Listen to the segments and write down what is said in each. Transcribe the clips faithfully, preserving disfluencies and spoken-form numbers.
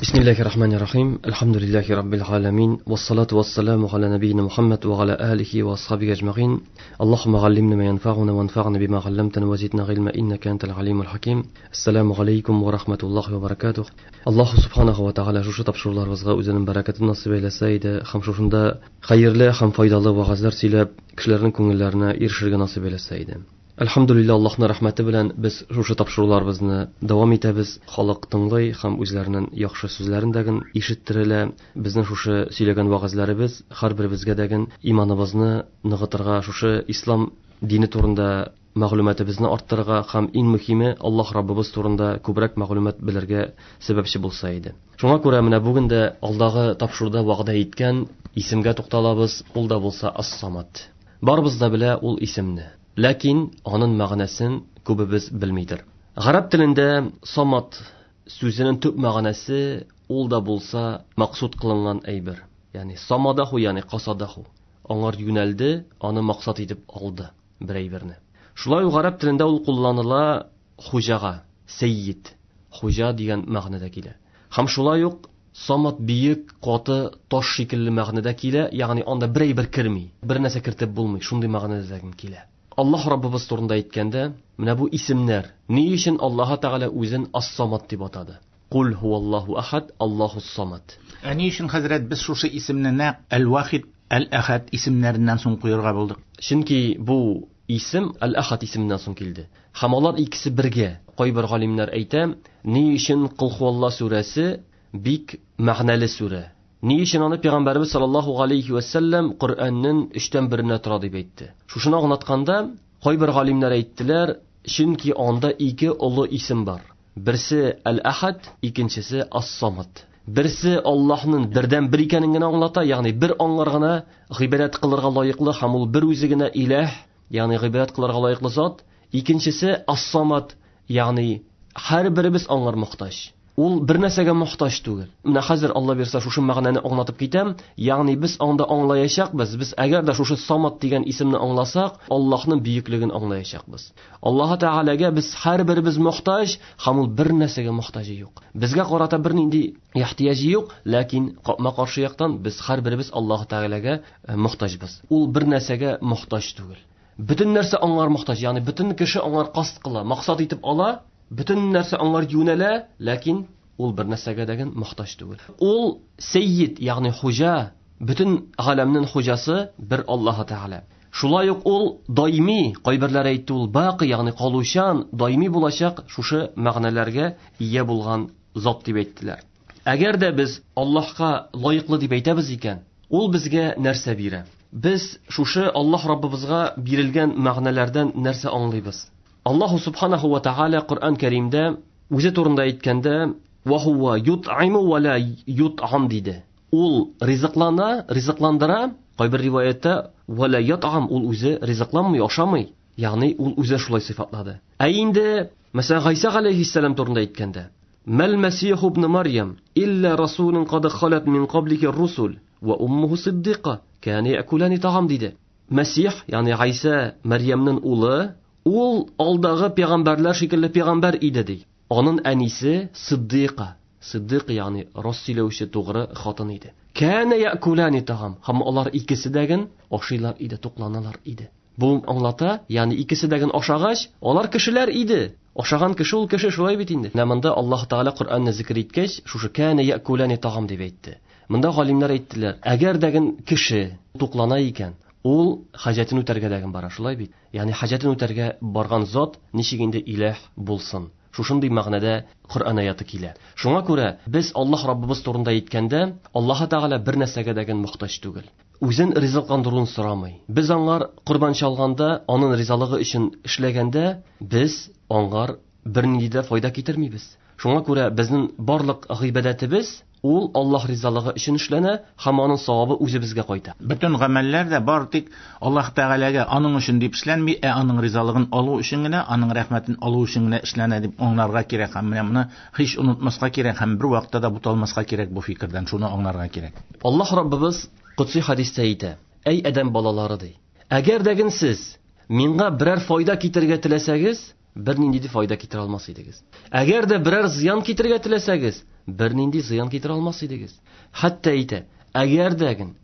Бисмиллахир-рахманир-рахим. Әлхәмдүлилләһи раббил аламин. Вассалату вассаламу аля набийна Мухаммад ва аля алихи ва асхабихи аҗмаин. Аллаһумма галлимна ма янфагуна ванфагна бима галламтана ва зидна гыйльма иннака антал алимул хаким. Ассаламу алейкум ва рахматуллахи ва баракатух. Аллаһу субханаху ва тааля шушы тапшыруларыбызга үзенең бәрәкәтен насыйп әйләсә иде һәм шушында хәерле һәм файдалы вәгазьләр сөйләп кешеләрнең күңелләренә ирешергә насыйп әйләсә иде. Әлхәмдүлилләһ, Аллаһның рәхмәте белән без шушы тапшыруларыбызны дәвам итәбез. Халык тыңлый һәм үзләренең яхшы сүзләрен дәген ишеттерелә. Безнең шушы сөйләгән вәгазьләребез һәрберебезгә дәген иманыбызны ныгытырга, шушы ислам дине турында мәгълүматыбызны арттырырга һәм иң мөһиме Аллаһ Раббыбыз турында күбрәк мәгълүмат белергә сәбәпче булса иде. Шуңа күрә менә бүген дә алдагы тапшыруда вәгъдә иткән исемгә тукталабыз, ул да булса Ас-Самад. Барыбыз да белә ул исемне. Ләкин аның мәгънәсен күбебез белмидер. Гарәп телендә самат сүзенең төп мәгънәсе ул да булса максут кылынган әйбер. Ягъни самадаху, ягъни касадаху. Аңар юнәлде, аны максат итеп алды бер әйберне. Шулай ук гарәп телендә ул кулланыла хуҗага, сәйид, хуҗа дигән мәгънәдә килә. Һәм шулай ук самат биек, каты таш шикелле мәгънәдә килә, ягъни анда бер әйбер керми, бер нәрсә кертеп булмый, шундый мәгънәдә килә. Аллаһ Раббыбыз турында әйткәндә, менә бу исемнәр ни өчен Аллаһ Тәгалә үзен Ас-Самад дип атады? Кул хуаллаһу ахад, Аллаһус Самад. Ә ни өчен хәзрәт без шушы исемне нәкъ Әл-Вахид, Әл-Ахад исемнәреннән соң куярга булдык? Чөнки бу исем Әл-Ахад исеменнән соң килде. Һәм алар икесе бергә. Кайбер галимнәр әйтә, ни өчен Кул хуаллаһ сүрәсе бик мәгънәле сүрә? Ни өчен аны Пәйгамбәрбез саллаллаһу алейхи ва саллям Коръәннең өчтән беренә тора дип әйтте? Шушыны аңлатканда, кайбер галимнәр әйттеләр, чөнки анда ике олы исем бар. Берсе Әл-Ахад, икенчесе Ас-Самад. Берсе Аллаһның бердән бер икәнен генә аңлата, ягъни бер аңлар гына гыйбадәт кылырга лаеклы һәм ул бер үзе генә илаһ, ягъни гыйбадәт кылырга лаеклы зат. Икенчесе Ас-Самад, ягъни һәрберебез аңар мохтаҗ. Ул бер нәрсәгә мохтаҗ түгел. Менә хәзер Алла бирсә шушы мәгънәне аңлатып китәм, ягъни без анда аңлаячакбыз. Без әгәр дә шушы Самад дигән исемне аңласак, Аллаһның бөеклеген аңлаячакбыз. Аллаһ Тәгаләгә без һәрберебез мохтаҗ, һәм ул бер нәрсәгә мохтаҗы юк. Безгә карата бернинди ихтыяҗы юк, ләкин капма-каршы яктан без һәрберебез Аллаһ Тәгаләгә мохтаҗбыз. Ул бер нәрсәгә мохтаҗ түгел. Бөтен нәрсә аңар мохтаҗ, ягъни бөтен кеше аңар касд кыла, максат итеп ала. Бөтен нәрсә аңар юнәлә, ләкин ул бер нәрсәгә дәген мохтаҗ түгел. Ул сәйид, ягъни хуҗа, бөтен галәмнең хуҗасы бер Аллаһ Тәгалә. Шулай ук ул даими, кайберләре әйтте, ул бакый, ягъни калучан, даими булачак шушы мәгънәләргә ия булган зат дип әйттеләр. Әгәр дә без Аллаһка лаеклы дип әйтәбез икән, ул безгә нәрсә бирә? Без шушы Аллаһ Раббыбызга бирелгән мәгънәләрдән нәрсә аңлыйбыз? Аллаһу субханаху ва тааля Коръән Кәримдә үзе турында әйткәндә, ва хува ютъиму ва ла ютъам диде. Ул ризыклана, ризыкландыра, кайбер риваятта ва ла ятъам, ул үзе ризыкланмый, ашамый. Ягъни ул үзе шулай сыйфатлады. Ә инде, мәсәлән, Гайса галәйһиссәлам турында әйткәндә, Мәл Мәсиху ибн Марьям илля расулун кад халат мин каблики русул ва уммуху сиддика кана якулани таам диде. Мәсих, ягъни Гайса Марьямның улы, ул алдагы пәйгамбәрләр шикелле пәйгамбәр иде ди. Аның әнисе Сиддика, Сиддик ягъни рас сөйләүче тугры хатын иде. Кана якулани таам, һәм алар икесе дәген ашыйлар иде, тукланалар иде. Бу аңлата, ягъни икесе дәген ашагач, алар кешеләр иде. Ашаган кеше ул кеше шулай бит инде. Менә монда Аллаһ Тәгалә Коръәнне зикр иткәч, шушы кана якулани таам дип әйтте. Монда галимнәр әйттеләр, әгәр дәген кеше туклана икән, ул хаҗәтен үтәргә дәген бара, шулай бит. Ягъни хаҗәтен үтәргә барган зат ничек инде илаһ булсын? Шушындый мәгънәдә Коръән аяты килә. Шуңа күрә без Аллаһ Раббыбыз турында әйткәндә, Аллаһ Тәгалә бер нәрсәгә дәген мохтаҗ түгел. Үзен ризыкландыруын сорамый. Без аңар корбан чалганда, аның ризалыгы өчен эшләгәндә, без аңар бернинди дә файда китермибез. Шуңа күрә безнең барлык гыйбадәтебез ул Аллаһ ризалыгы өчен эшләнә һәм аның савабы үзебезгә кайта. Бөтен гамәлләр дә бар тик Аллаһ Тәгаләгә аның өчен дип эшләнми, ә аның ризалыгын алу өчен генә, аның рәхмәтен алу өчен генә эшләнә дип аңларга кирәк һәм менә моны һич онытмаска кирәк һәм бер вакытта да буталмаска кирәк бу фикердән, шуны аңларга кирәк. Аллаһ Раббыбыз Кудси хадистә әйтә: "Әй адәм балалары, ди, әгәр дә сез миңа берәр файда китерергә теләсәгез, бернинди дә файда китерә алмас идегез. Әгәр дә берәр зыян китерергә теләсәгез, бернинди зыян китерә алмас идегез. Хәтта әйтә, әгәр дәген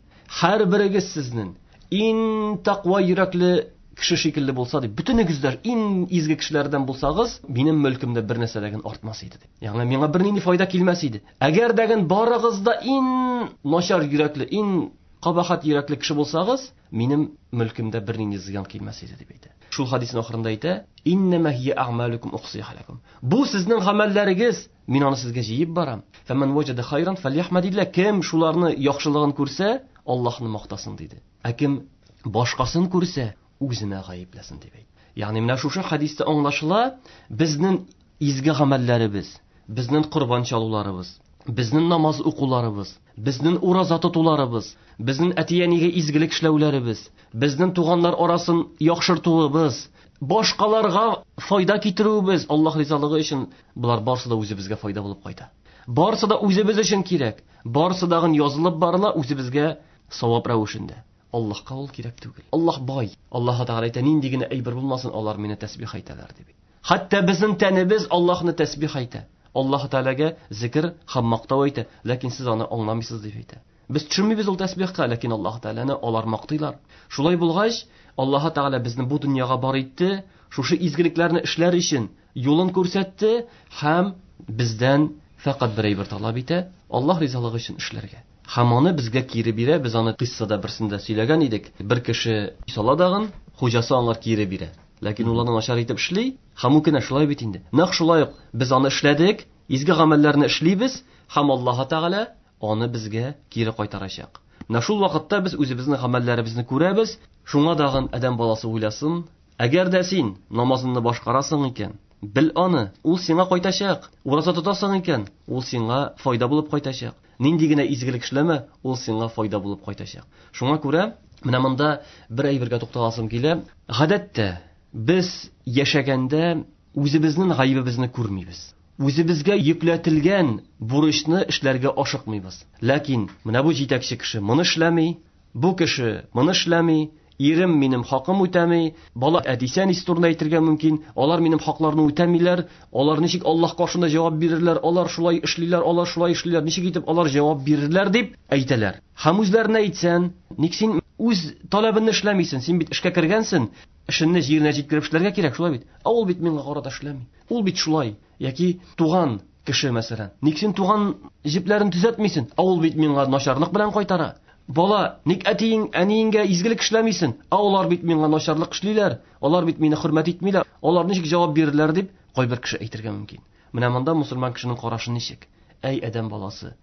һәрберегез сезнең иң тәкъва йөрәкле кеше шикелле булса дип, бөтенегез дә иң изге кешеләрдән булсагыз, минем мөлкемдә бер нәрсә дә артмас иде дип. Ягъни миңа бернинди файда килмәс иде. Әгәр дәген барыгыз да иң начар йөрәкле, иң кабахат йөрәкле кеше булсагыз, минем мөлкемдә бернинди зыян килмәс иде дип әйтә. Шул хадисның ахырында әйтә: "Иннама һия а'малукум ухсиха лакум." Бу сезнең гамәлләрегез, мин аны сезгә җыеп барам. Фәман ваҗада хайран фәльяхмадилла. Кем шуларны яхшылыгын күрсә, Аллаһны мактасын диде. Ә кем башкасын күрсә, үзенә гаепләсен дип әйтте. Ягъни менә шушы хадистә аңлашыла, безнең изге гамәлләребез, безнең корбан чалуларыбыз, безнең намаз укуларыбыз, безнең ураза тотуларыбыз, безнең әти-әнигә изгелек эшләүләребез, безнең туганнар арасын яхшыртуыбыз, башкаларга файда китерүебез, Аллаһ ризалыгы өчен, болар барысы да үзебезгә файда булып кайта. Барысы да үзебез өчен кирәк. Барысы дагын язылып барыла үзебезгә савап рәвешендә. Аллаһка ул кирәк түгел. Аллаһ бай. Аллаһ Тәгалә әйтә, нинди генә әйбер булмасын, алар мине тәсбих әйтәләр дип. Хәтта безнең тәнебез Аллаһны тәсбих әйтә. Аллаһ Тәгаләгә зикр һәм мактау әйтә, ләкин сез аны аңламыйсыз дип әйтә. Без төшенмибез ул тәсбихка, ләкин Аллаһ Тәгаләне алар мактыйлар. Шулай булгач, Аллаһ Тәгалә безне бу дөньяга бар итте, шушы изгелекләрне эшләр өчен юлын күрсәтте һәм бездән фәкать бер әйбер таләп итә, Аллаһ ризалыгы өчен эшләргә. Һәм аны безгә кире бирә. Без аны кыссада берсендә сөйләгән идек. Бер кеше сала дагын, хуҗасы аңар кире бирә. Ләкин ул аны начар итеп эшли, һәм ул кенә шулай бит инде. Нәкъ шулай ук без аны эшләдек, изге гамәлләрне эшлибез, һәм Аллаһ Тәгалә аны безгә кире кайтарачак. Менә шул вакытта без үзебезнең гамәлләребезне күрәбез. Шуңа дагын адәм баласы уйласын, әгәр дә син намазыңны башкарасың икән, бел аны, ул сиңа кайтачак. Ураза тотасың икән, ул сиңа файда булып кайтачак. Нинди генә изгелек эшләмә, ул сиңа файда булып кайтачак. Шуңа күрә менә монда бер әйбергә тукталасым килә. Гадәттә без яшәгәндә үзебезнең гаебебезне күрмибез. Үзебезгә йөкләтелгән бурычны эшләргә ашыкмыйбыз. Ләкин менә бу җитәкче кеше моны эшләми, бу кеше моны эшләми, ирем минем хакым үтәми, бала әтисе әнисе турында әйтергә мөмкин, алар минем хакларны үтәмиләр, алар ничек Аллаһ каршында җавап бирерләр, алар шулай эшлиләр, алар шулай эшлиләр, ничек итеп алар җавап бирерләр дип әйтәләр. Һәм үзләренә әйтсән, ник син үз таләбеңне эшләмисең, син бит эшкә кергәнсең, эшеңне җиренә җиткереп эшләргә кирәк, шулай бит. Ә ул бит миңа карата эшләми. Ул бит шулай. Яки туган кеше мәсәлән, ник син туган җепләрен төзәтмисең? Ә ул бит миңа начарлык белән кайтара. Бала, ник әтиең, әниеңгә изгелек эшләмисең? Ә алар бит миңа начарлык эшлиләр, алар бит мине хөрмәт итмиләр, алар ничек җавап бирерләр дип кайбер кеше әйтергә мөмкин. Менә монда мусульман кешенең карашы ничек? Әй адәм баласы,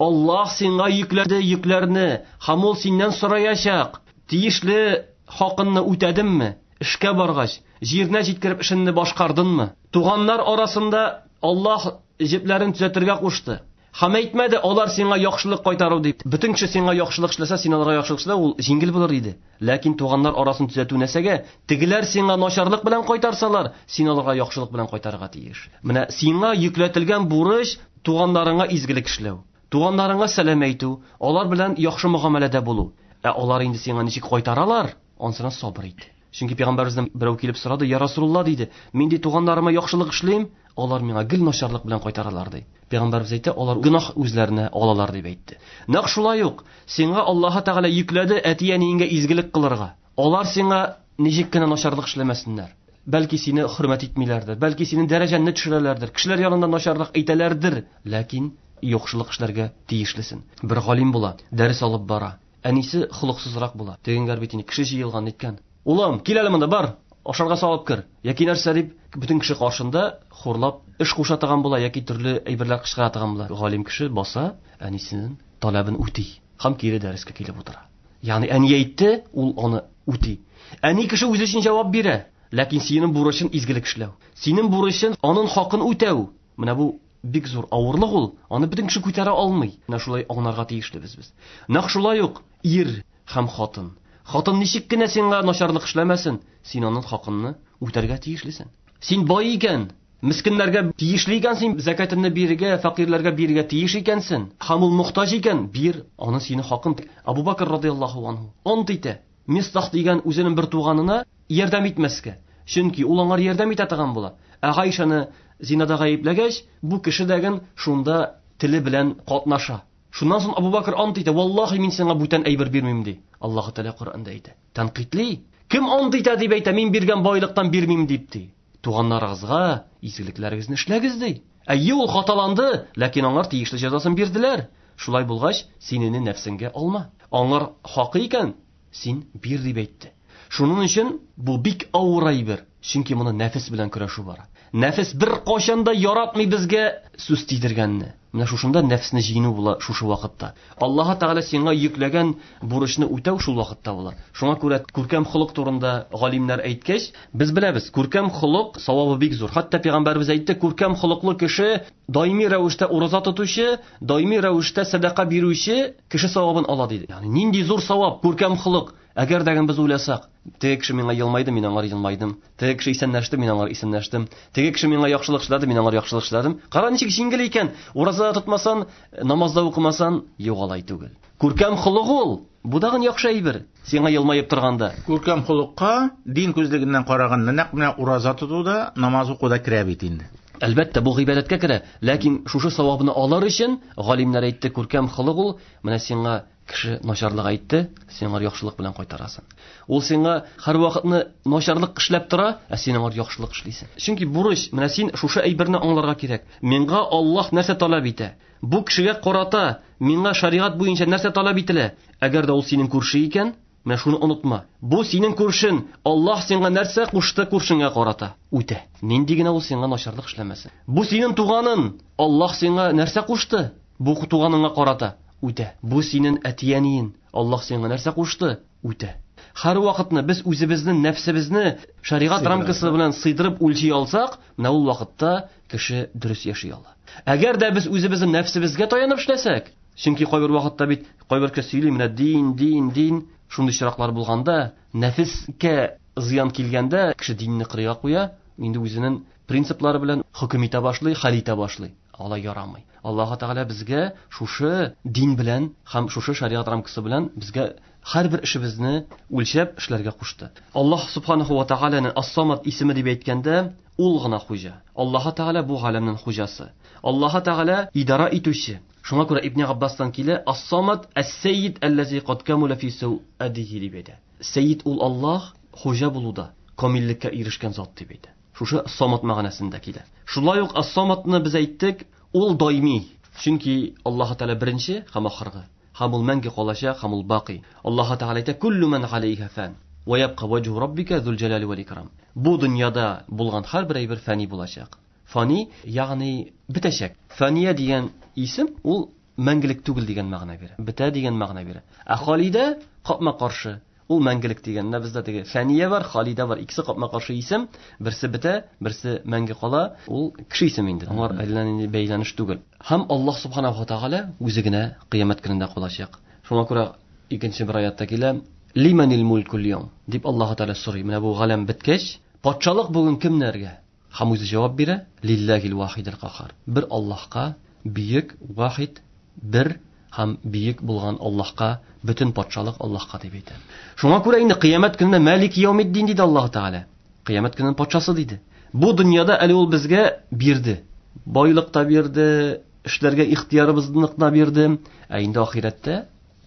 Аллаһ сиңа йөкләде йөкләрне, һәм ул синнән сораячак. Тиешле хакыңны үтәдеңме? Эшкә баргач, җиренә җиткереп эшеңне башкардыңмы? Туганнар арасында Аллаһ җепләрен төзәтергә кушты. Һәм әйтмәде, алар сиңа яхшылык кайтару дип. Бөтен кеше сиңа яхшылык эшләсә, син аларга яхшылык эшлә, ул җиңел булыр иде. Ләкин туганнар арасын төзәтү нәрсәгә? Тегеләр сиңа начарлык белән кайтарсалар, син аларга яхшылык белән кайтарырга тиеш. Менә сиңа йөкләтелгән бурыч туганнарыңа изгелек эшләү, туганнарыңа сәлам әйтү, алар белән яхшы мөгамәләдә булу. Ә алар инде сиңа ничек кайтаралар? Ансына сабыр ит. Чөнки пәйгамбәребездән берәү килеп сорады, "Я Расулулла", диде, "Мин ди туганнарыма яхшылык эшлим, алар миңа гел начарлык белән кайтаралар", ди. Пәйгамбәребез әйтте, алар гөнаһ үзләренә алалар дип әйтте. Нәкъ шулай ук сиңа Аллаһ Тәгалә йөкләде әти-әниеңгә изгелек кылырга. Алар сиңа ничек кенә начарлык эшләмәсеннәр. Бәлки сине хөрмәт итмиләрдер, бәлки синең дәрәҗәңне төшерәләрдер, кешеләр янында начарлык әйтәләрдер, ләкин яхшылык эшләргә тиешлесен. Бер галим була, дәрес алып бара. Әнисе холыксызрак була. Тегенгәр бит инде кеше җыелган иткән. Улым, кил әле монда, бар, ашарга салып кер. Яки нәрсә дип, бөтен кеше каршында хурлап эш куша торган була, яки төрле әйберләр кычкыра торган була. Галим кеше баса, әнисенең таләбен үти һәм кире дәрескә килеп утыра. Ягъни әни әйтте, ул аны үти. Әни кеше үзе өчен җавап бирә, ләкин синең бурычың изгелек эшләү. Синең бурычың аның хакын үтәү. Менә бу бик зур авырлык ул, аны бөтен кеше күтәрә алмый. Менә шулай аңларга тиешлебез без. Нәкъ шулай ук ир һәм хатын. Хатын ничек кенә сиңа начарлык эшләмәсен, син аның хакынны үтәргә тиешлесең. Син бай икән, мискиннәргә тиешле икәнсең, закатыңны бирергә, фәкыйрьләргә бирергә тиеш икәнсең. Һәм ул мохтаҗ икән, бир аны синең хакын. Абу Бакр радияллаһу анһу ант итә, Мистах дигән үзенең бер туганына ярдәм итмәскә. Чөнки ул аңар ярдәм итә торган була. Ә Гайшаны зинада гаепләгәч, бу кеше дәген шунда теле белән катнаша. Шуннан соң Абу Бакр ант итә, валлаһи мин сиңа бүтән әйбер бирмим ди. Аллаһ Тәгалә Коръәндә әйтә. Тәнкыйтьли. Кем ант итә дип әйтә, мин биргән байлыктан бирмим дип ди. Туганнарыгызга изгелекләрегезне эшләгез ди. Әйе, ул хаталанды, ләкин аңар тиешле җәзасын бирделәр. Шулай булгач, син аны нәфсеңгә алма. Аңар хакы икән, син бир дип әйтте. Шуның өчен бу бик авыр әйбер, чөнки моны нәфес белән көрәшү бара. Нәфес бер кайчан да яратмый безгә сүз тидергәнне. Менә шушында нәфесне җиңү була шушы вакытта. Аллаһ Тәгалә сиңа йөкләгән бурычны үтәү шул вакытта була. Шуңа күрә күркәм холык турында галимнәр әйткәч, без беләбез, күркәм холык савабы бик зур. Хәтта пәйгамбәрбез әйтте, күркәм холыклы кеше даими рәвештә ураза тотучы, даими рәвештә сәдака бирүче кеше савабын ала диде. Ягъни нинди зур савап күркәм холык. Әгәр дә без уйласак, теге кеше миңа елмайды, мин аңар елмайдым. Теге кеше исәнләште, мин аңар исәнләштем. Теге кеше миңа яхшылык эшләде, мин аңар яхшылык эшләдем. Кара ничек җиңел икән. Ураза тотмасан, намазда укымасан, юк алай түгел. Күркәм холык ул. Бу дагын яхшы әйбер. Сиңа елмаеп торганда. Күркәм холыкка дин күзлегеннән караганда нәкъ менә ураза тотуда, намаз укуда керә бит инде. Әлбәттә, бу гыйбадәткә керә, ләкин шушы савабны алыр өчен галимнәр әйтте, күркәм холык ул, менә сиңа кеше начарлык әйтте, син аңар яхшылык белән кайтарасың. Ул сиңа һәр вакытны начарлык эшләп тора, ә син аңар яхшылык эшлисең. Чөнки бурыч, менә син шушы әйберне аңларга кирәк. Миңа Аллаһ нәрсә таләп итә? Бу кешегә карата миңа шәригать буенча нәрсә таләп ителә? Әгәр дә ул синең күрше икән, менә шуны онытма. Бу синең күршең, Аллаһ сиңа нәрсә кушты күршеңә карата? Үтә. Нинди генә ул сиңа начарлык эшләмәсен. Бу синең туганың, Аллаһ сиңа нәрсә кушты? Бу туганыңа карата? Үтә. Бу синең әти-әниең, Аллаһ сиңа нәрсә кушты? Үтә. Һәр вакытны без үзебезнең нәфсебезне шәригать рамкасы белән сыйдырып үлчи алсак, менә ул вакытта кеше дөрес яши ала. Әгәр дә без үзебезнең нәфсебезгә таянып эшләсәк, чөнки кайбер вакытта бит кайбер кеше сөйли, менә дин, дин, дин, шундый чираклар булганда, нәфескә зыян килгәндә, кеше динне кырыйга куя, инде үзенең принциплары белән хөкем итә башлый, хәл итә башлый. Алай ярамый. Аллаһ Тәгалә безгә шушы дин белән һәм шушы шәригать рамкасы белән безгә һәрбер эшебезне үлчәп эшләргә кушты. Аллаһ Субханаһу ва Тәгаләнең Ас-Самад исеме дип әйткәндә, ул гына хуҗа. Аллаһ Тәгалә бу галәмнең хуҗасы. Аллаһ Тәгалә идара итүче. Шуңа күрә Ибн Габбастан килә, Ас-Самад әс-Сәйид аллази кад камула фи сауадихи дип әйтә. Сәйид ул Аллаһ хуҗа булуда, камиллеккә ирешкән зат дип әйтә. Шушы Ас-Самад мәгънәсендә килә. Шулай ук Ас-Самадны без әйттек, ул даими. Чөнки Аллаһ Тәгалә беренче һәм ахыргы. Һәм ул мәңге калачак, һәм ул бакый. Аллаһ Тәгалә әйтә, куллу ман алейха фан ва ябка ваҗһу раббика зул җәлали вал икрам. Бу дөньяда булган һәрбер әйбер фани булачак. Фани, ягъни бетәчәк. Фания дигән исем ул мәңгелек түгел дигән мәгънә бирә. Бетә дигән мәгънә бирә. Ә халидә капма-каршы. Ул мәңгелек дигән. Менә бездә теге фания бар, халидә бар. Икесе капма-каршы исем. Берсе бетә, берсе мәңге кала. Ул кеше исеме инде. Аңар әллә нинди бәйләнеш түгел. Һәм Аллаһ Субханаһу ва Тааля үзе генә кыямәт көнендә калачак. Шуңа күрә икенче бер аятта килә, Лиманил мулкул яум дип Аллаһ Тааля сорый. Менә бу галәм беткәч, патшалык бүген кемнәргә? Һәм үзе җавап бирә, Лиллахил вахидил кахар. Бер Аллаһка, бөек вахид, бер һәм бөек булган Аллаһка, бөтен патшалык Аллаһка дип әйтә. Шуңа күрә инде кыямәт көнендә Малик яумиддин диде Аллаһ Тааля. Кыямәт көненең патшасы диде. Бу дөньяда әле ул безгә бирде. Байлык та бирде, эшләргә ихтыярыбызны да бирде. Ә инде ахирәттә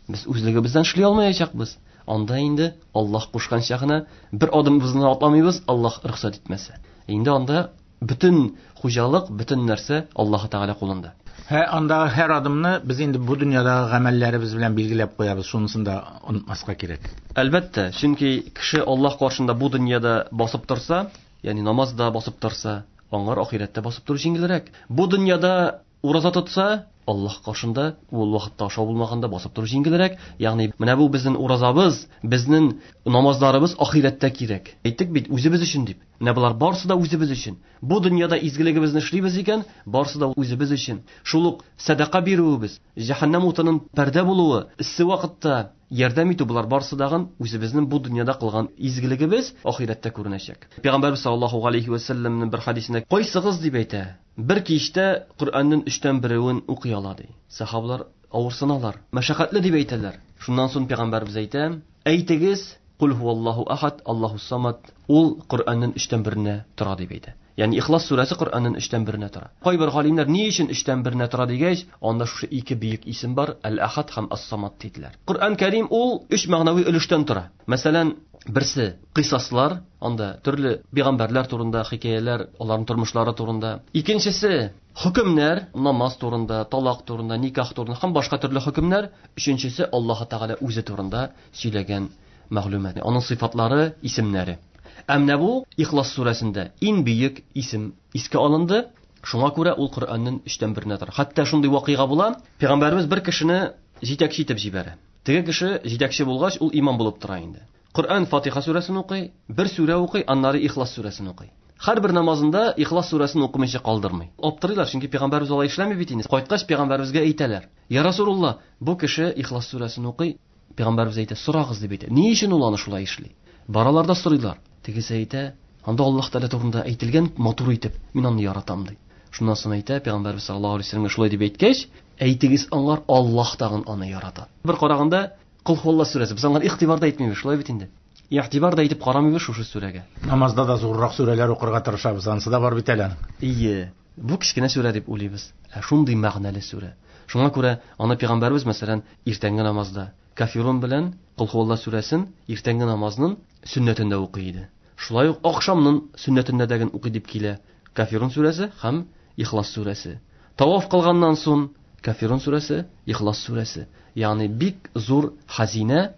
без үзлегебездән эшли алмаячакбыз. Анда инде Аллаһ кушканча гына бер адымыбызны атламыйбыз, Аллаһ рөхсәт итмәсә. Инде анда бөтен хуҗалык, бөтен нәрсә Аллаһ Тааля кулында. Һә, андагы һәр адымны без инде бу дөньядагы гамәлләребез белән билгеләп куябыз, шунысын да онытмаска кирәк. Әлбәттә, чөнки кеше Аллаһ каршында бу дөньяда басып торса, ягъни намазда басып торса, аңар ахирәттә басып тору җиңелрәк. Бу дөньяда ураза тотса, Аллаһ каршында ул вакытта ашау булмаганда басып тору җиңелрәк. Ягъни менә бу безнең уразабыз, безнең намазларыбыз ахирәттә кирәк. Әйттек бит, үзебез өчен дип. Менә болар барсы да үзебез өчен. Бу дөньяда изгелегебезне эшлибез икән, барсы да үзебез өчен. Шул ук сәдака бирүебез, җәһәннәм утының пәрдә булуы, эссе вакытта ярдәм итү, болар барсы дагын үзебезнең бу дөньяда кылган изгелегебез ахирәттә күренәчәк. Пәйгамбәрбез саллаллаһу алейхи ва сәлләмнең бер хадисендә кайсыгыз дип әйтә, бер кичтә Коръәннең өчтән берәвен укый ала ди. Сахабалар авырсыналар, мәшәкатьле дип әйтәләр. Шуннан соң пәйгамбәрбез әйтә, әйтегез, Кул хуаллаһу ахад, Аллаһу самад, ул Коръәннең өчтән беренә тора дип әйтә. Ягъни Ихлас сүрәсе Коръәннең өчтән беренә тора. Кайбер галимнәр ни өчен өчтән беренә тора дигәч, анда шушы ике бөек исем бар, Әл-Ахад һәм Ас-Самад диделәр. Коръән Кәрим ул өч мәгънәви өлештән тора. Мәсәлән, берсе кыйсаслар, анда төрле пәйгамбәрләр турында хикәяләр, аларның тормышлары турында. Икенчесе хөкемнәр, намаз турында, талак турында, никах турында һәм башка төрле хөкемнәр. Өченчесе Аллаһ Тәгалә үзе турында сөйләгән мәгълүмат. Аның сыйфатлары, исемнәре. Ә менә бу Ихлас сүрәсендә иң бөек исем искә алынды. Шуңа күрә ул Коръәннең өчтән беренә тора. Хәтта шундый вакыйга була, пәйгамбәребез бер кешене җитәкче итеп җибәрә. Теге кеше җитәкче булгач, ул имам булып тора инде. Коръән Фатиха сүрәсен укый, бер сүрә укый, аннары Ихлас сүрәсен укый. Һәрбер намазында Ихлас сүрәсен укымыйча калдырмый. Аптырыйлар, чөнки пәйгамбәребез алай эшләми бит инде. Кайткач пәйгамбәребезгә әйтәләр: "Я Расулулла, бу кеше Ихлас сүрәсен укый." Пәйгамбәребез әйтә: "Сорагыз", дип әйтә. Ни өчен ул аны шулай эшли? Баралар да сорыйлар. Тегесе әйтә: "Анда Аллаһ Тәгалә турында әйтелгән матур итеп, мин аны яратам", ди. Шуннан соң әйтә пәйгамбәребез саллаллаһу алейһи вәсәлләмгә шулай дип әйткәч, әйтегез аңар, Аллаһ тагын аны ярата. Бер караганда Кул хуалла сүрәсе, без аңар игътибар да итмибез, шулай бит инде. Игътибар да итеп карамыйбыз шушы сүрәгә. Намазда да зуррак сүрәләр укырга тырышабыз, ансы да бар бит әле. Ие, бу кечкенә сүрә дип уйлыйбыз. Ә шундый мәгънәле сүрә. Шуңа күрә аны пәйгамбәребез, мәсәлән, иртәнге намазда Кафирун белән Кул хуалла сүрәсен иртәнге намазның сөннәтендә укый иде. Шулай ук ахшамның сөннәтендә дә укый дип килә Кафирун сүрәсе һәм Ихлас сүрәсе. Таваф кылганнан соң Кафирун сүрәсе, Ихлас сүрәсе. Ягъни бик зур хазина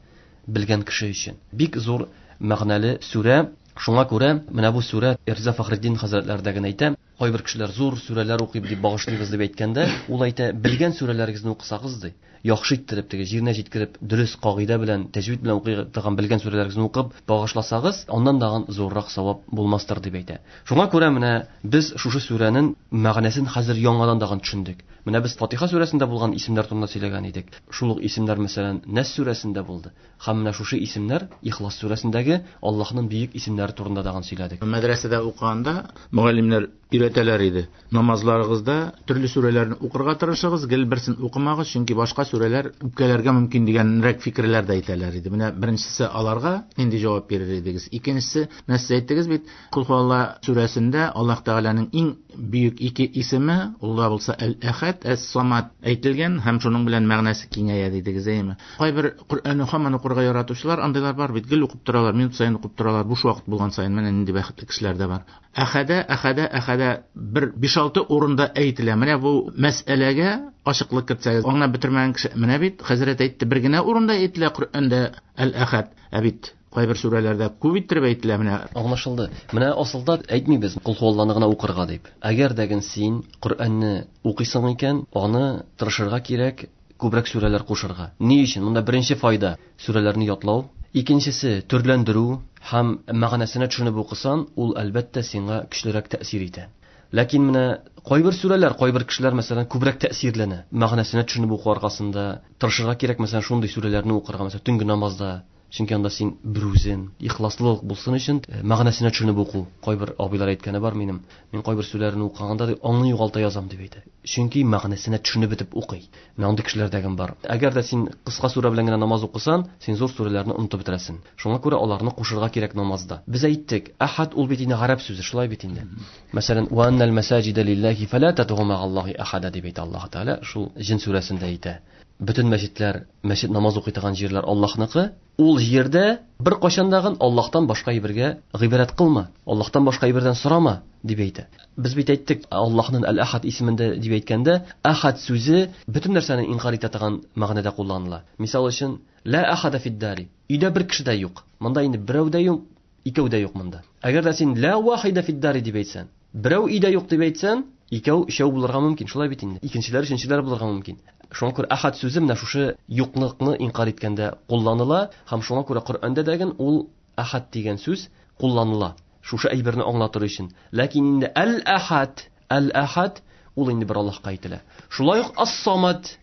белгән кеше өчен. Бик зур мәгънәле сүрә. Шуңа күрә менә бу сүрә Риза Фахретдин хәзрәтләре дә генә әйтә, кайбер кешеләр зур сүрәләр укый дип багышлыйбыз дип әйткәндә, ул әйтә, белгән сүрәләрегезне укысагыз ди, яхшы иттереп, теге җиренә җиткереп, дөрес кагыйдә белән, тәҗвид белән укый торган белгән сүрәләрегезне укып багышласагыз, аннан дагын зуррак савап булмастыр дип әйтә. Шуңа күрә менә без шушы сүрәнең мәгънәсен хәзер яңадан дагын төшендек. Менә без Фатиха сүрәсендә булган исемнәр турында сөйләгән идек. Шул ук исемнәр, мәсәлән, Нәс сүрәсендә булды. Һәм менә шушы исемнәр Ихлас сүрәсендәге Аллаһның бөек исемнәре турында дагын сөйләдек. Мәдрәсәдә укыганда мөгаллимнәр өйрәтәләр иде. Намазларыгызда төрле сүрәләрне укырга тырышыгыз, гел берсен укымагыз, чөнки башка сүрәләр үпкәләргә мөмкин дигәнрәк фикерләр дә әйтәләр иде. Менә беренчесе аларга нинди җавап бирер идегез? Икенчесе, менә сез әйттегез бит, Кул хуалла сүрәсендә Аллаһ Тәгаләнең иң бөек ике исеме, ул да булса Әл-Әхәд, Әс-Самад әйтелгән һәм шуның белән мәгънәсе киңәя дидегез, әйеме? Кайбер Коръәнне һаман укырга яратучылар, андыйлар бар бит, гел укып торалар, минут саен укып торалар, буш вакыт булган саен менә нинди бәхетле кешеләр дә бар. Әхәдә, әхәдә, әхәдә бер биш-алты урында әйтелә. Менә бу мәсьәләгә ачыклык кертсәгез, аңлап бетермәгән кеше, менә бит хәзрәт әйтте, бер генә урында әйтелә Коръәндә Әл-Әхәд. Ә бит кайбер сүрәләрдә күп иттереп әйтелә менә. Аңлашылды. Менә асылда әйтмибез Кул хуалланы гына укырга дип. Әгәр дә син Коръәнне укыйсың икән, аны тырышырга кирәк, күбрәк сүрәләр кушырга. Ни өчен? Монда беренче файда сүрәләрне ятлау, икенчесе төрләндерү һәм мәгънәсенә төшенеп укысан, ул әлбәттә сиңа көчлерәк тәэсир итә. Ләкин менә кайбер сүрәләр, кайбер кешеләр мәсәлән күбрәк тәэсирләнә. Мәгънәсенә төшенеп уку аркасында тырышырга кирәк, мәсәлән, шундый сүрәләрне укырга, мәсәлән, төнге намазда. Чөнки анда син берүзен, ихласлылык булсын өчен мәгънәсенә төшенеп уку. Кайбер абыйлар әйткәне бар минем. Мин кайбер сүрәләрне укыганда ди, аңны югалта язам дип әйтә. Чөнки мәгънәсенә төшенеп бетеп укый. Менә андый кешеләр дә бар. Әгәр дә син кыска сүрә белән генә намаз укысан, син зур сүрәләрне онытып бетерәсең. Шуңа күрә аларны кушырга кирәк намазда. Без әйттек, әхәд ул бит инде гарәп сүзе, шулай бит инде. Мәсәлән, ва аннал масаҗида лиллаһи фала тадгу ма'аллаһи ахада дип әйтә Аллаһ Тәгалә, шул Җен сүрәсендә әйтә. Бөтен мәчетләр, мәчет намаз укый торган җирләр Аллаһныкы. Ул җирдә бер кайчандагын Аллаһтан башка әйбергә гыйбадәт кылма, Аллаһтан башка әйбердән сорама дип әйтә. Без бит әйттек, Аллаһның Әл-Әхәд исемендә дип әйткәндә, әхәд сүзе бөтен нәрсәне инкар итә торган мәгънәдә кулланыла. Мисал өчен, ла әхәдә фид-дари. Өйдә бер кеше дә юк. Монда инде берәү дә юк, икәү дә юк монда. Әгәр дә син ла вахида фид-дари дип әйтсән, берәү өйдә юк дип әйтсән, икәү, өчәү булырга мөмкин, шулай бит инде. Икенчеләр, өченчеләр булырга мөмкин. Шуңа күрә әхәд сүзе менә шушы юклыкны инкар иткәндә кулланыла һәм шуңа күрә Коръәндә дә ул әхәд дигән сүз кулланыла. Шушы әйберне аңлатыр өчен. Ләкин инде әл-әхәд, әл-әхәд ул инде бер Аллаһка әйтелә. Шулай ук ас-самад.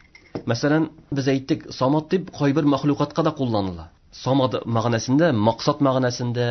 Мәсәлән, без әйттек, самад дип кайбер мәхлукатка да кулланыла. Самад мәгънәсендә, максат мәгънәсендә,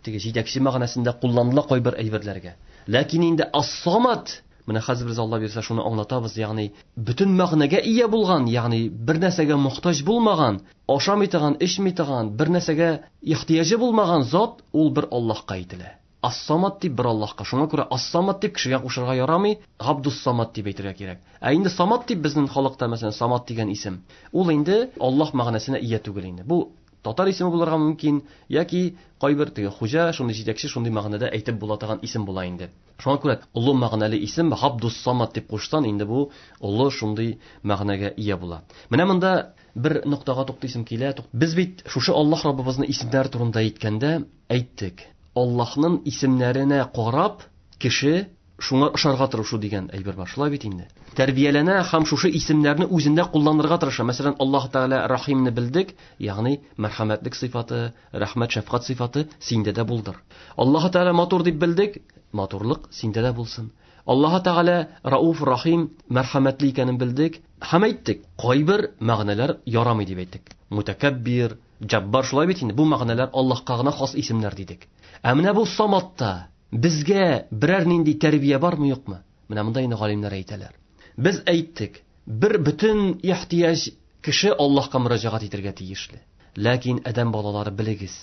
теге җитәкче мәгънәсендә кулланыла кайбер әйберләргә. Ләкин инде ас-самад, менә хәзер без Алла бирсә шуны аңлатабыз, ягъни бөтен мәгънәгә ия булган, ягъни бер нәрсәгә мохтаҗ булмаган, ашамый торган, эчми торган, бер нәрсәгә ихтыяҗы булмаган зат ул бер Аллаһка әйтелә. Ас-Самат дип бер Аллаһка. Шуңа күрә Ас-Самат дип кешегә кушарга ярамый, Габдус-Самат дип әйтергә кирәк. Ә инде Самат дип безнең халыкта, мәсәлән, Самат дигән исем, ул инде Аллаһ мәгънәсенә ия түгел инде. Бу татар исеме булырга мөмкин, яки кайбер теге хуҗа, шундый җитәкче, шундый мәгънәдә әйтеп була торган исем була инде. Шуңа күрә олы мәгънәле исем Габдус-Самат дип кушсан, инде бу олы шундый мәгънәгә ия була. Менә монда бер ноктага туктыйсым килә. Без бит шушы Аллаһ Раббыбызның исемнәре турында әйткәндә әйттек. Аллаһның исемнәренә карап кеше шуңа ошарга тырышу дигән әйбер бар. Шулай бит инде. Тәрбияләнә һәм шушы исемнәрне үзендә кулланырга тырыша. Мәсәлән, Аллаһ Тәгалә Рахимны белдек, ягъни мәрхәмәтлек сыйфаты, рәхмәт, шәфкать сыйфаты синдә дә булдыр. Аллаһ Тәгалә матур дип белдек, матурлык синдә дә булсын. Аллаһ Тәгалә Рауф, Рахим, мәрхәмәтле икәнен белдек һәм әйттек. Кайбер мәгънәләр ярамый дип әйттек. Мутакаббир, Җаббар, шулай бит инде. Бу мәгънәләр Аллаһка гына хас исемнәр дидек. Ә менә бу Саматта безгә берәр нинди тәрбия бармы, юкмы? Менә монда инде галимнәр әйтәләр. Без әйттек, бер бөтен ихтыяҗ кеше Аллаһка мөрәҗәгать итәргә тиешле. Ләкин адәм балалары белегез,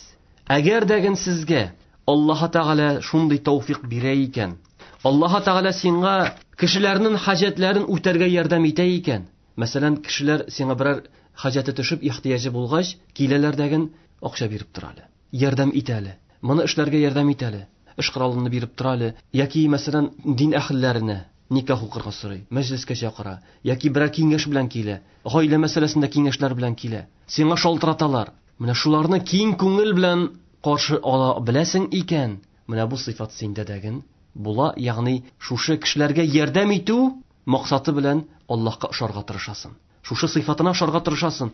әгәр дәген сезгә Аллаһ Тәгалә шундый тәүфик бирә икән, Аллаһ Тәгалә сиңа кешеләрнең хаҗәтләрен үтәргә ярдәм итә икән, мәсәлән, кешеләр сиңа берәр хаҗәте төшеп, ихтыяҗы булгач, киләләр дәген акча биреп тора әле, ярдәм итә әле, моны эшләргә ярдәм итә әле, эш коралын биреп тора әле, яки мәсәлән, дин әһелләренә никах укырга сорый, мәҗлескә чакыра, яки берәр киңәш белән килә, гаилә мәсьәләсендә киңәшләр белән килә, сиңа шалтыраталар. Менә шуларны киң күңел белән каршы ала беләсең икән, менә бу сыйфат синдә дәген була, ягъни шушы кешеләргә ярдәм итү максаты белән Аллаһка ошарга тырышасың. Шушы сыйфатына ошарга тырышасың.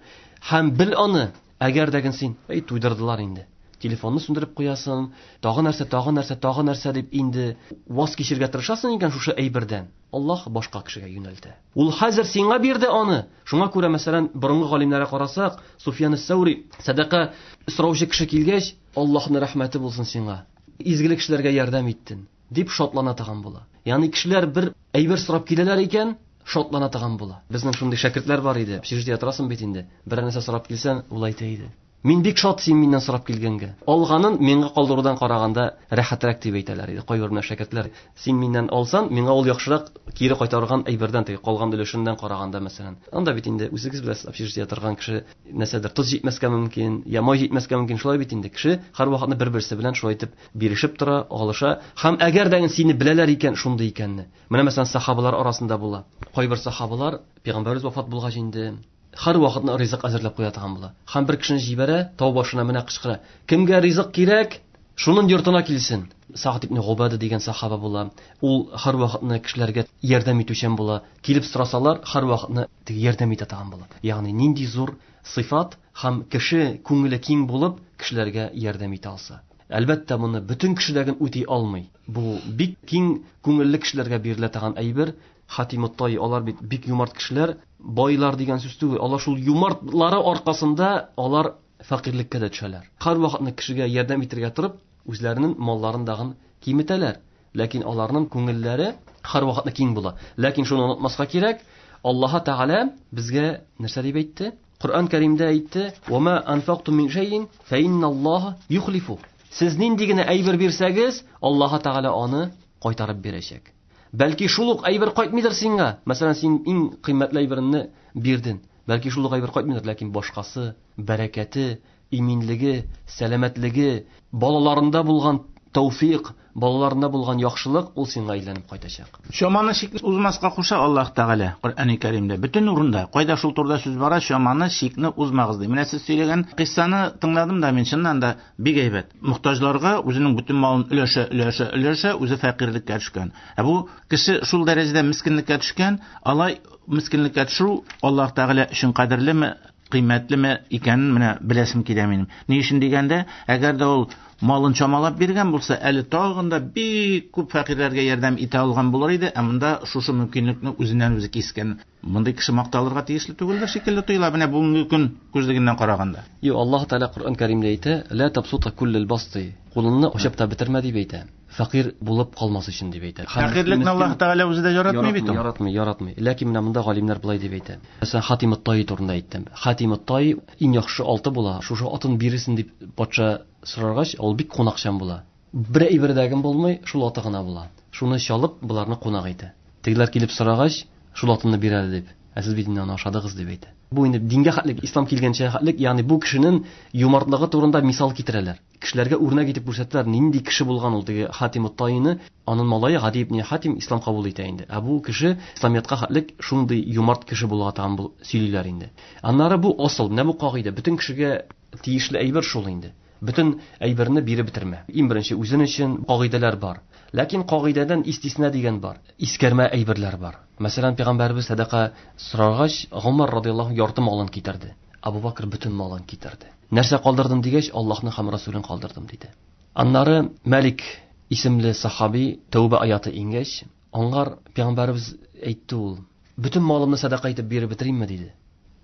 Һәм бел аны, әгәр дәген син, эй, туйдырдылар инде. Телефонны сүндереп куясың, тагы нәрсә, тагы нәрсә, тагы нәрсә дип инде ваз кичергә тырышасың икән шушы әйбердән, Аллаһ башка кешегә юнәлтә. Ул хәзер сиңа бирде аны. Шуңа күрә, мәсәлән, борынгы галимнәргә карасак, Суфьян ас-Саури сәдака сораучы кеше килгәч, Аллаһның рәхмәте булсын сиңа, изгелек эшләргә ярдәм иттең, дип шатлана торган була. Ягъни кешеләр бер әйбер сорап киләләр икән, шатлана торган була. Безнең шундый шәкертләр бар иде. Общежитиедә торасың бит инде. Берәр нәрсә сорап килсәң, ул әйтә иде: Мин бик шат син миннән сорап килгәнгә. Алганын миңа калдырудан караганда рәхәтрәк дип әйтәләр иде. Кайбер менә шәкертләр, син миннән алсан, миңа ул яхшырак кире кайтарган әйбердән, теге калган өлешеннән караганда, мәсәлән. Анда бит инде үзегез беләсез, общежитиедә торган кеше нәрсәдер тоз җитмәскә мөмкин, я май җитмәскә мөмкин, шулай бит инде. Кеше һәрвакытны бер-берсе белән шулай итеп бирешеп тора, алыша. Һәм әгәр дә сине беләләр икән, шундый икәнне. Менә мәсәлән, сахабалар арасында була. Кайбер сахабалар пәйгамбәребез вафат булгач инде һәр вакытны ризык әзерләп куя торган була. Һәм бер кешене җибәрә, тау башына менә кычкыра: Кемгә ризык кирәк, шуның йортына килсен. Сa'д ибн Губада дигән сахаба була. Ул һәр вакытны кешеләргә ярдәм итүчән була. Килеп сорасалар, һәр вакытны теге ярдәм итә торган була. Ягъни нинди зур сыйфат һәм кеше күңеле киң булып кешеләргә ярдәм итә алса. Әлбәттә, моны бөтен кешеләргә үти алмый. Бу бик киң күңелле кешеләргә бирелә торган әйбер. Хатим ат-Тай, алар бит бик юмарт кешеләр, байлар дигән сүз түгел. Алар шул юмартлары аркасында алар фәкыйрьлеккә дә төшәләр. Һәр вакытны кешегә ярдәм итәргә торып, үзләренең малларын дагын киметәләр. Ләкин аларның күңелләре һәр вакытны киң була. Ләкин шуны онытмаска кирәк, Аллаһ Тәгалә безгә нәрсә дип әйтте? Коръән Кәримдә әйтте: "Ва ма анфактум мин шәйин фа инналлаһа юхлифу". Сез нинди генә әйбер бирсәгез, Аллаһ Тәгалә аны кайтарып бирәчәк. Бәлки шул ук әйбер кайтмыйдыр сиңа. Мәсәлән, син иң кыйммәтле әйбереңне бирдең. Бәлки шул ук әйбер кайтмыйдыр, ләкин башкасы, бәрәкәте, иминлеге, сәламәтлеге, балаларында булган тәүфик, балаларында булган яхшылык ул сиңа әйләнеп кайтачак. Чаманы чикне узмаска куша Аллаһ Тәгалә Коръәни Кәримдә. Бөтен урында, кайда шул турыда сүз бара, чаманы чикне узмагыз ди. Менә сез сөйләгән кыйссаны тыңладым да мин, чыннан да бик әйбәт. Мохтаҗларга үзенең бөтен малын өләшә, өләшә, өләшә, үзе фәкыйрьлеккә төшкән. Ә бу кеше шул дәрәҗәдә мискинлеккә төшкән, алай мискинлеккә төшү Аллаһ Тәгалә өчен кадерлеме, кыйммәтлеме икәнен менә беләсем килә минем. Ни өчен дигәндә, әгәр дә ул малын чамалап биргән булса, әле тагын да бик күп фәкыйрьләргә ярдәм итә алган булыр иде, ә монда шушы мөмкинлекне үзеннән үзе кискән. Мондый кеше макталырга тиешле түгелдер шикелле тоела менә бүгенге көн күзлегеннән караганда. Юк, Аллаһ Тәгалә Коръән Кәримдә әйтә: "Ла табсута куллал басти". Кулыңны ачып та бетермә дип әйтә. Фәкыйрь булып калмас өчен дип әйтә. Фәкыйрьлекне Аллаһ Тәгалә үзе дә яратмый бит ул. Яратмый, яратмый. Ләкин менә монда галимнәр болай дип әйтә. Мәсәлән, Хатим ат-Тай турында әйттем. Хатим ат-Тай иң яхшы алты була. Шушы атын бирерсен дип патша сораргач, ул бик кунакчан була. Бер әйбердәген булмый, шул аты гына була. Шуны чалып, боларны кунак итә. Тегеләр килеп сорагач, шул атны бир әле дип. Ә сез бит инде аны ашадыгыз дип әйтә. Бу инде дингә хәтлек, ислам килгәнчә хәтлек, ягъни бу кешенең юмартлыгы турында мисал китерәләр. Кешеләргә үрнәк итеп күрсәтәләр, нинди кеше булган ул теге Хатим ат-Таины, аның малае Гади ибн Хатим ислам кабул итә инде. Ә бу кеше исламиятка хәтлек шундый юмарт кеше булган тагын бу сөйлиләр инде. Аннары бу асыл, менә бу кагыйдә, бөтен кешегә тиешле әйбер шул инде. Бөтен әйберне биреп бетермә. Иң беренче үзен өчен кагыйдәләр бар. Ләкин кагыйдәдән истисна дигән бар. Искәрмә әйберләр бар. Мәсәлән, пәйгамбәребез сәдака сорагач, Гомар радияллаһу ярты малын китерде. Абу Бакр бөтен малын китерде. Нәрсә калдырдым дигәч, Аллаһны һәм Расулын калдырдым диде. Аннары Мәлик исемле сахаби Тәүбә аяты иңгәч, аңар пәйгамбәребез әйтте ул: "Бөтен малымны сәдака итеп биреп бетеримме?" диде.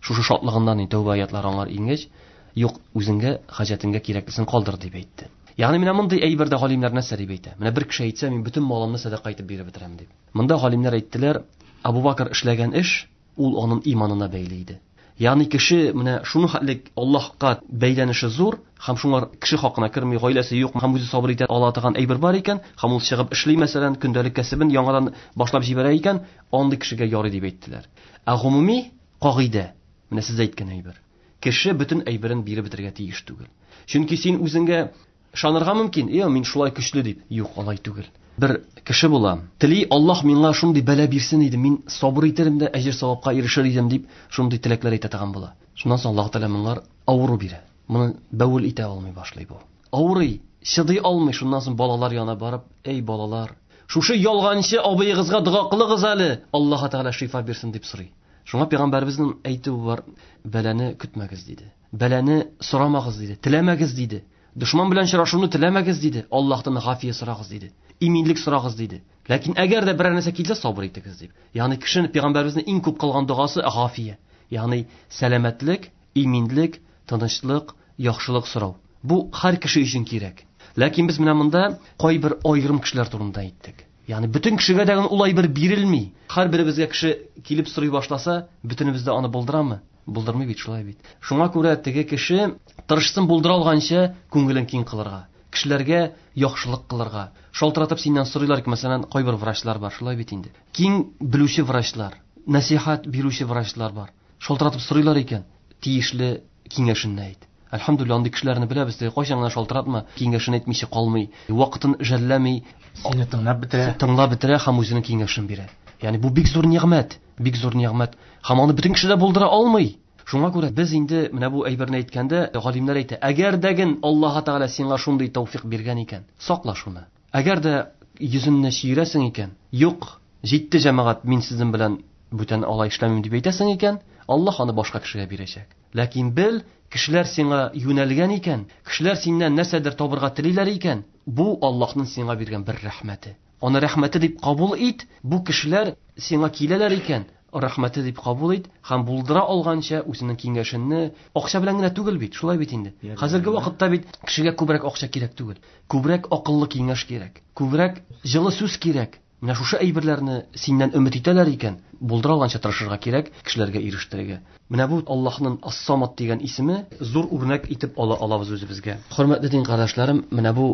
Шушы шатлыгыннан Тәүбә аятлары аңар иңгәч, юк, үзеңгә, хаҗәтеңгә кирәклесен калдыр дип әйтте. Ягъни менә мондый әйбердә галимнәр нәрсә дип әйтә? Менә бер кеше әйтсә, мин бөтен малымны сәдака итеп биреп бетерәм дип. Монда галимнәр әйттеләр, Абу Бакр эшләгән эш ул аның иманына бәйле иде. Ягъни кеше менә шуны хәтлек Аллаһка бәйләнеше зур, һәм шуңар кеше хакына керми, гаиләсе юк, һәм үзе сабыр итә ала торган әйбер бар икән, һәм ул чыгып эшли, мәсәлән, көндәлек кәсебен яңадан башлап җибәрә икән, андый кешегә ярый дип әйттеләр. Ә гомуми кагыйдә, менә сез әйткән әйбер. Кеше бөтен әйберен биреп бетерергә тиеш түгел. Чөнки син үзеңгә ышанырга мөмкин, "Е, мин шулай көчле" дип. Юк, алай түгел. Бер кеше була, тели Аллаһ миңа шундый бәла бирсен иде, мин сабыр итерем дә әҗер савапка ирешер идем дип, шундый теләкләр әйтә торган була. Шуннан соң Аллаһ Тәгалә моңар авыру бирә. Моны бәвел итә алмый башлый бу. Авырый, чыдый алмый. Шуннан соң балалар янына барып, "Эй балалар, шушы ялганчы абыегызга дога кылыгыз әле, Аллаһ Тәгалә шифа бирсен" дип сорый. Шуңа пәйгамбәребезнең әйтүе бар, бәлане көтмәгез диде. Бәлане сорамагыз диде, теләмәгез диде. Дошман белән очрашуны теләмәгез диде. Аллаһтан гафия сорагыз диде. Иминлек сорагыз диде. Ләкин әгәр дә берәр нәрсә килсә, сабыр итегез дип. Ягъни кешенең пәйгамбәребезнең иң күп кылган догасы гафия. Ягъни сәламәтлек, иминлек, тынычлык, яхшылык сорау. Бу һәр кеше өчен кирәк. Ләкин без менә монда кайбер аерым кешеләр турында әйттек. Ягъни бөтен кешегә дә ул әйбер бирелми. Һәр беребезгә кеше килеп сорый башласа, бөтенебез дә аны булдырамы? Булдырмый бит, шулай бит. Шуңа күрә теге кеше тырышсын булдыра алганча күңелен киң кылырга, кешеләргә яхшылык кылырга. Шалтыратып синнән сорыйлар ки, мәсәлән, кайбер врачлар бар, шулай бит инде. Киң белүче врачлар, нәсихәт бирүче врачлар бар. Шалтыратып сорыйлар икән, тиешле киңәшен әйт. Әлхәмдүлилләһ, андый кешеләрне беләбез, теге кайчан гына шалтыратма, киңәшен әйтмичә калмый, вакытын жәлләми, сине тыңлап бетерә. Тыңлап бетерә һәм үзенең киңәшен бирә. Ягъни бу бик зур нигъмәт, бик зур нигъмәт. Һәм аны бөтен кеше дә булдыра алмый. Шуңа күрә без инде менә бу әйберне әйткәндә, галимнәр әйтә, әгәр дәген Аллаһ Тәгалә сиңа шундый тәүфик биргән икән, сакла шуны. Әгәр дә йөзеңне чирәсең икән, юк, җитте җәмәгать, мин сезнең белән бүтән алай эшләмим дип әйтәсең икән, Аллаһ аны башка кешегә бирәчәк. Ләкин бел, кешеләр сиңа юнәлгән икән, кешеләр синнән нәрсәдер табырга телиләр икән, бу Аллаһның сиңа биргән бер рәхмәте. Аны рәхмәте дип кабул ит, бу кешеләр сиңа киләләр икән, рәхмәте дип кабул ит һәм булдыра алганча үзенең киңәшенне акча белән генә түгел бит, шулай бит инде. Хәзерге вакытта бит кешегә күбрәк акча кирәк түгел, күбрәк акыллы киңәш кирәк, күбрәк җылы сүз кирәк. Менә шушы әйберләрне синнән өмет итәләр икән, булдыра алганча тырышырга кирәк, кешеләргә ирештерергә. Менә бу Аллаһның Ас-Самад дигән исеме зур үрнәк итеп ала алабыз үзебезгә. Хөрмәтле дин кардәшләрем, менә бу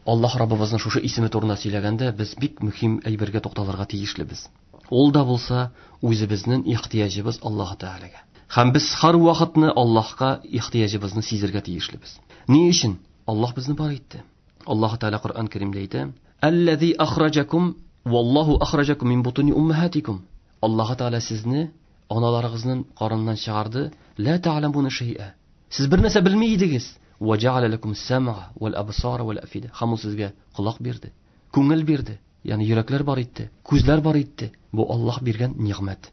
Аллаһ Раббыбызның шушы исеме турында сөйләгәндә без бик мөһим әйбергә тукталырга тиешлебез. Ул да булса үзебезнең ихтыяҗыбыз Аллаһ Тәгаләгә. Һәм без һәр вакытны Аллаһка ихтыяҗыбызны сизергә тиешлебез. Ни өчен? Аллаһ безне бар итте. Аллаһ Тәгалә Коръән Кәримдә әйтә: "Аллази ахраҗакум валлаһу ахраҗакум мин бутуни уммахатикум". Аллаһ Тәгалә сезне аналарыгызның карыныннан чыгарды. Ла та'ламуна шай'a. Сез бер нәрсә белми идегез. Ва жа'аля лакум ас-сам'a вал абсара вал афида. Һәм ул сезгә колак бирде, күңел бирде, ягъни йөрәкләр бар итте, күзләр бар итте. Бу Аллаһ биргән нигъмәт.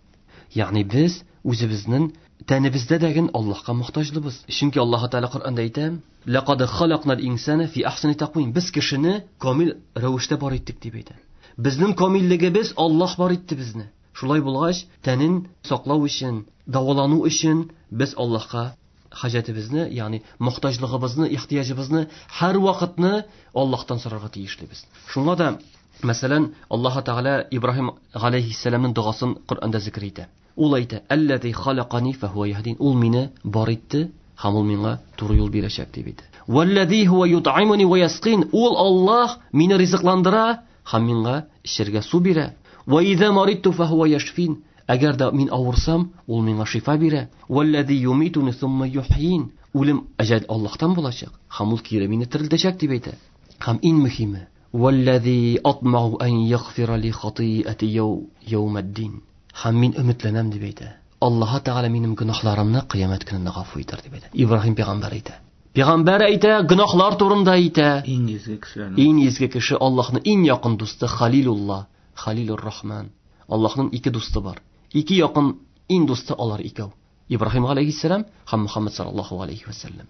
Ягъни без үзебезнең тәнебездә дәген Аллаһка мохтаҗлыбыз. Чөнки Аллаһ Тәгалә Коръәндә әйтә: "Лақад халакнал инсана фи ахсани тaqвим". Без кешене камил рәвештә бар иттек дип әйтә. Безнең камиллегебез Аллаһ бар итте безне. Шулай булгач, тәнен саклау өчен, дәвалану өчен без Аллаһка хаҗәтебезне, ягъни мохтаҗлыгыбызны, ихтыяҗыбызны һәр вакытны Аллаһтан сорарга тиешлебез. Шуңа да, мәсәлән, Аллаһ Тәгалә Ибраһим галәйһиссәламның догасын Коръәндә зикр итә. Ул әйтә: "Аллази халакани фахуа яһдин". Ул мине бар итте Һәм ул миңа туры юл бирәчәк дип әйтә. Валлази хуа ют'имуни ва ясқин. Ул Аллаһ мине ризыкландыра һәм миңа эчәргә су бирә. Ва иза маридту фа хуа яшфин. Әгәр дә мин авырсам, ул миңа шифа бирә. Валлази юмитуни сумма юхйин. Үлем әҗәл Аллаһтан булачак һәм ул кире мине терелтәчәк дип әйтә. Һәм иң мөһиме, валлази атмау ан ягфира ли хатиати яумаддин. Һәм мин өметләнәм дип әйтә. Аллаһ Тәгалә минем гөнаһларымны кыямәт көнендә гафу итәр дип әйтә. Ибраһим пәйгамбәр әйтә. Пәйгамбәр әйтә, гөнаһлар турында әйтә. Иң изге кешеләрнең. Иң изге кеше, Аллаһның иң якын дусты Халилулла, Халилур Рахман. Аллаһның ике дусты бар. Ике якын иң дусты алар икәү. Ибраһим алейһиссәлам һәм Мухаммад саллаллаһу алейһи ва сәлләм.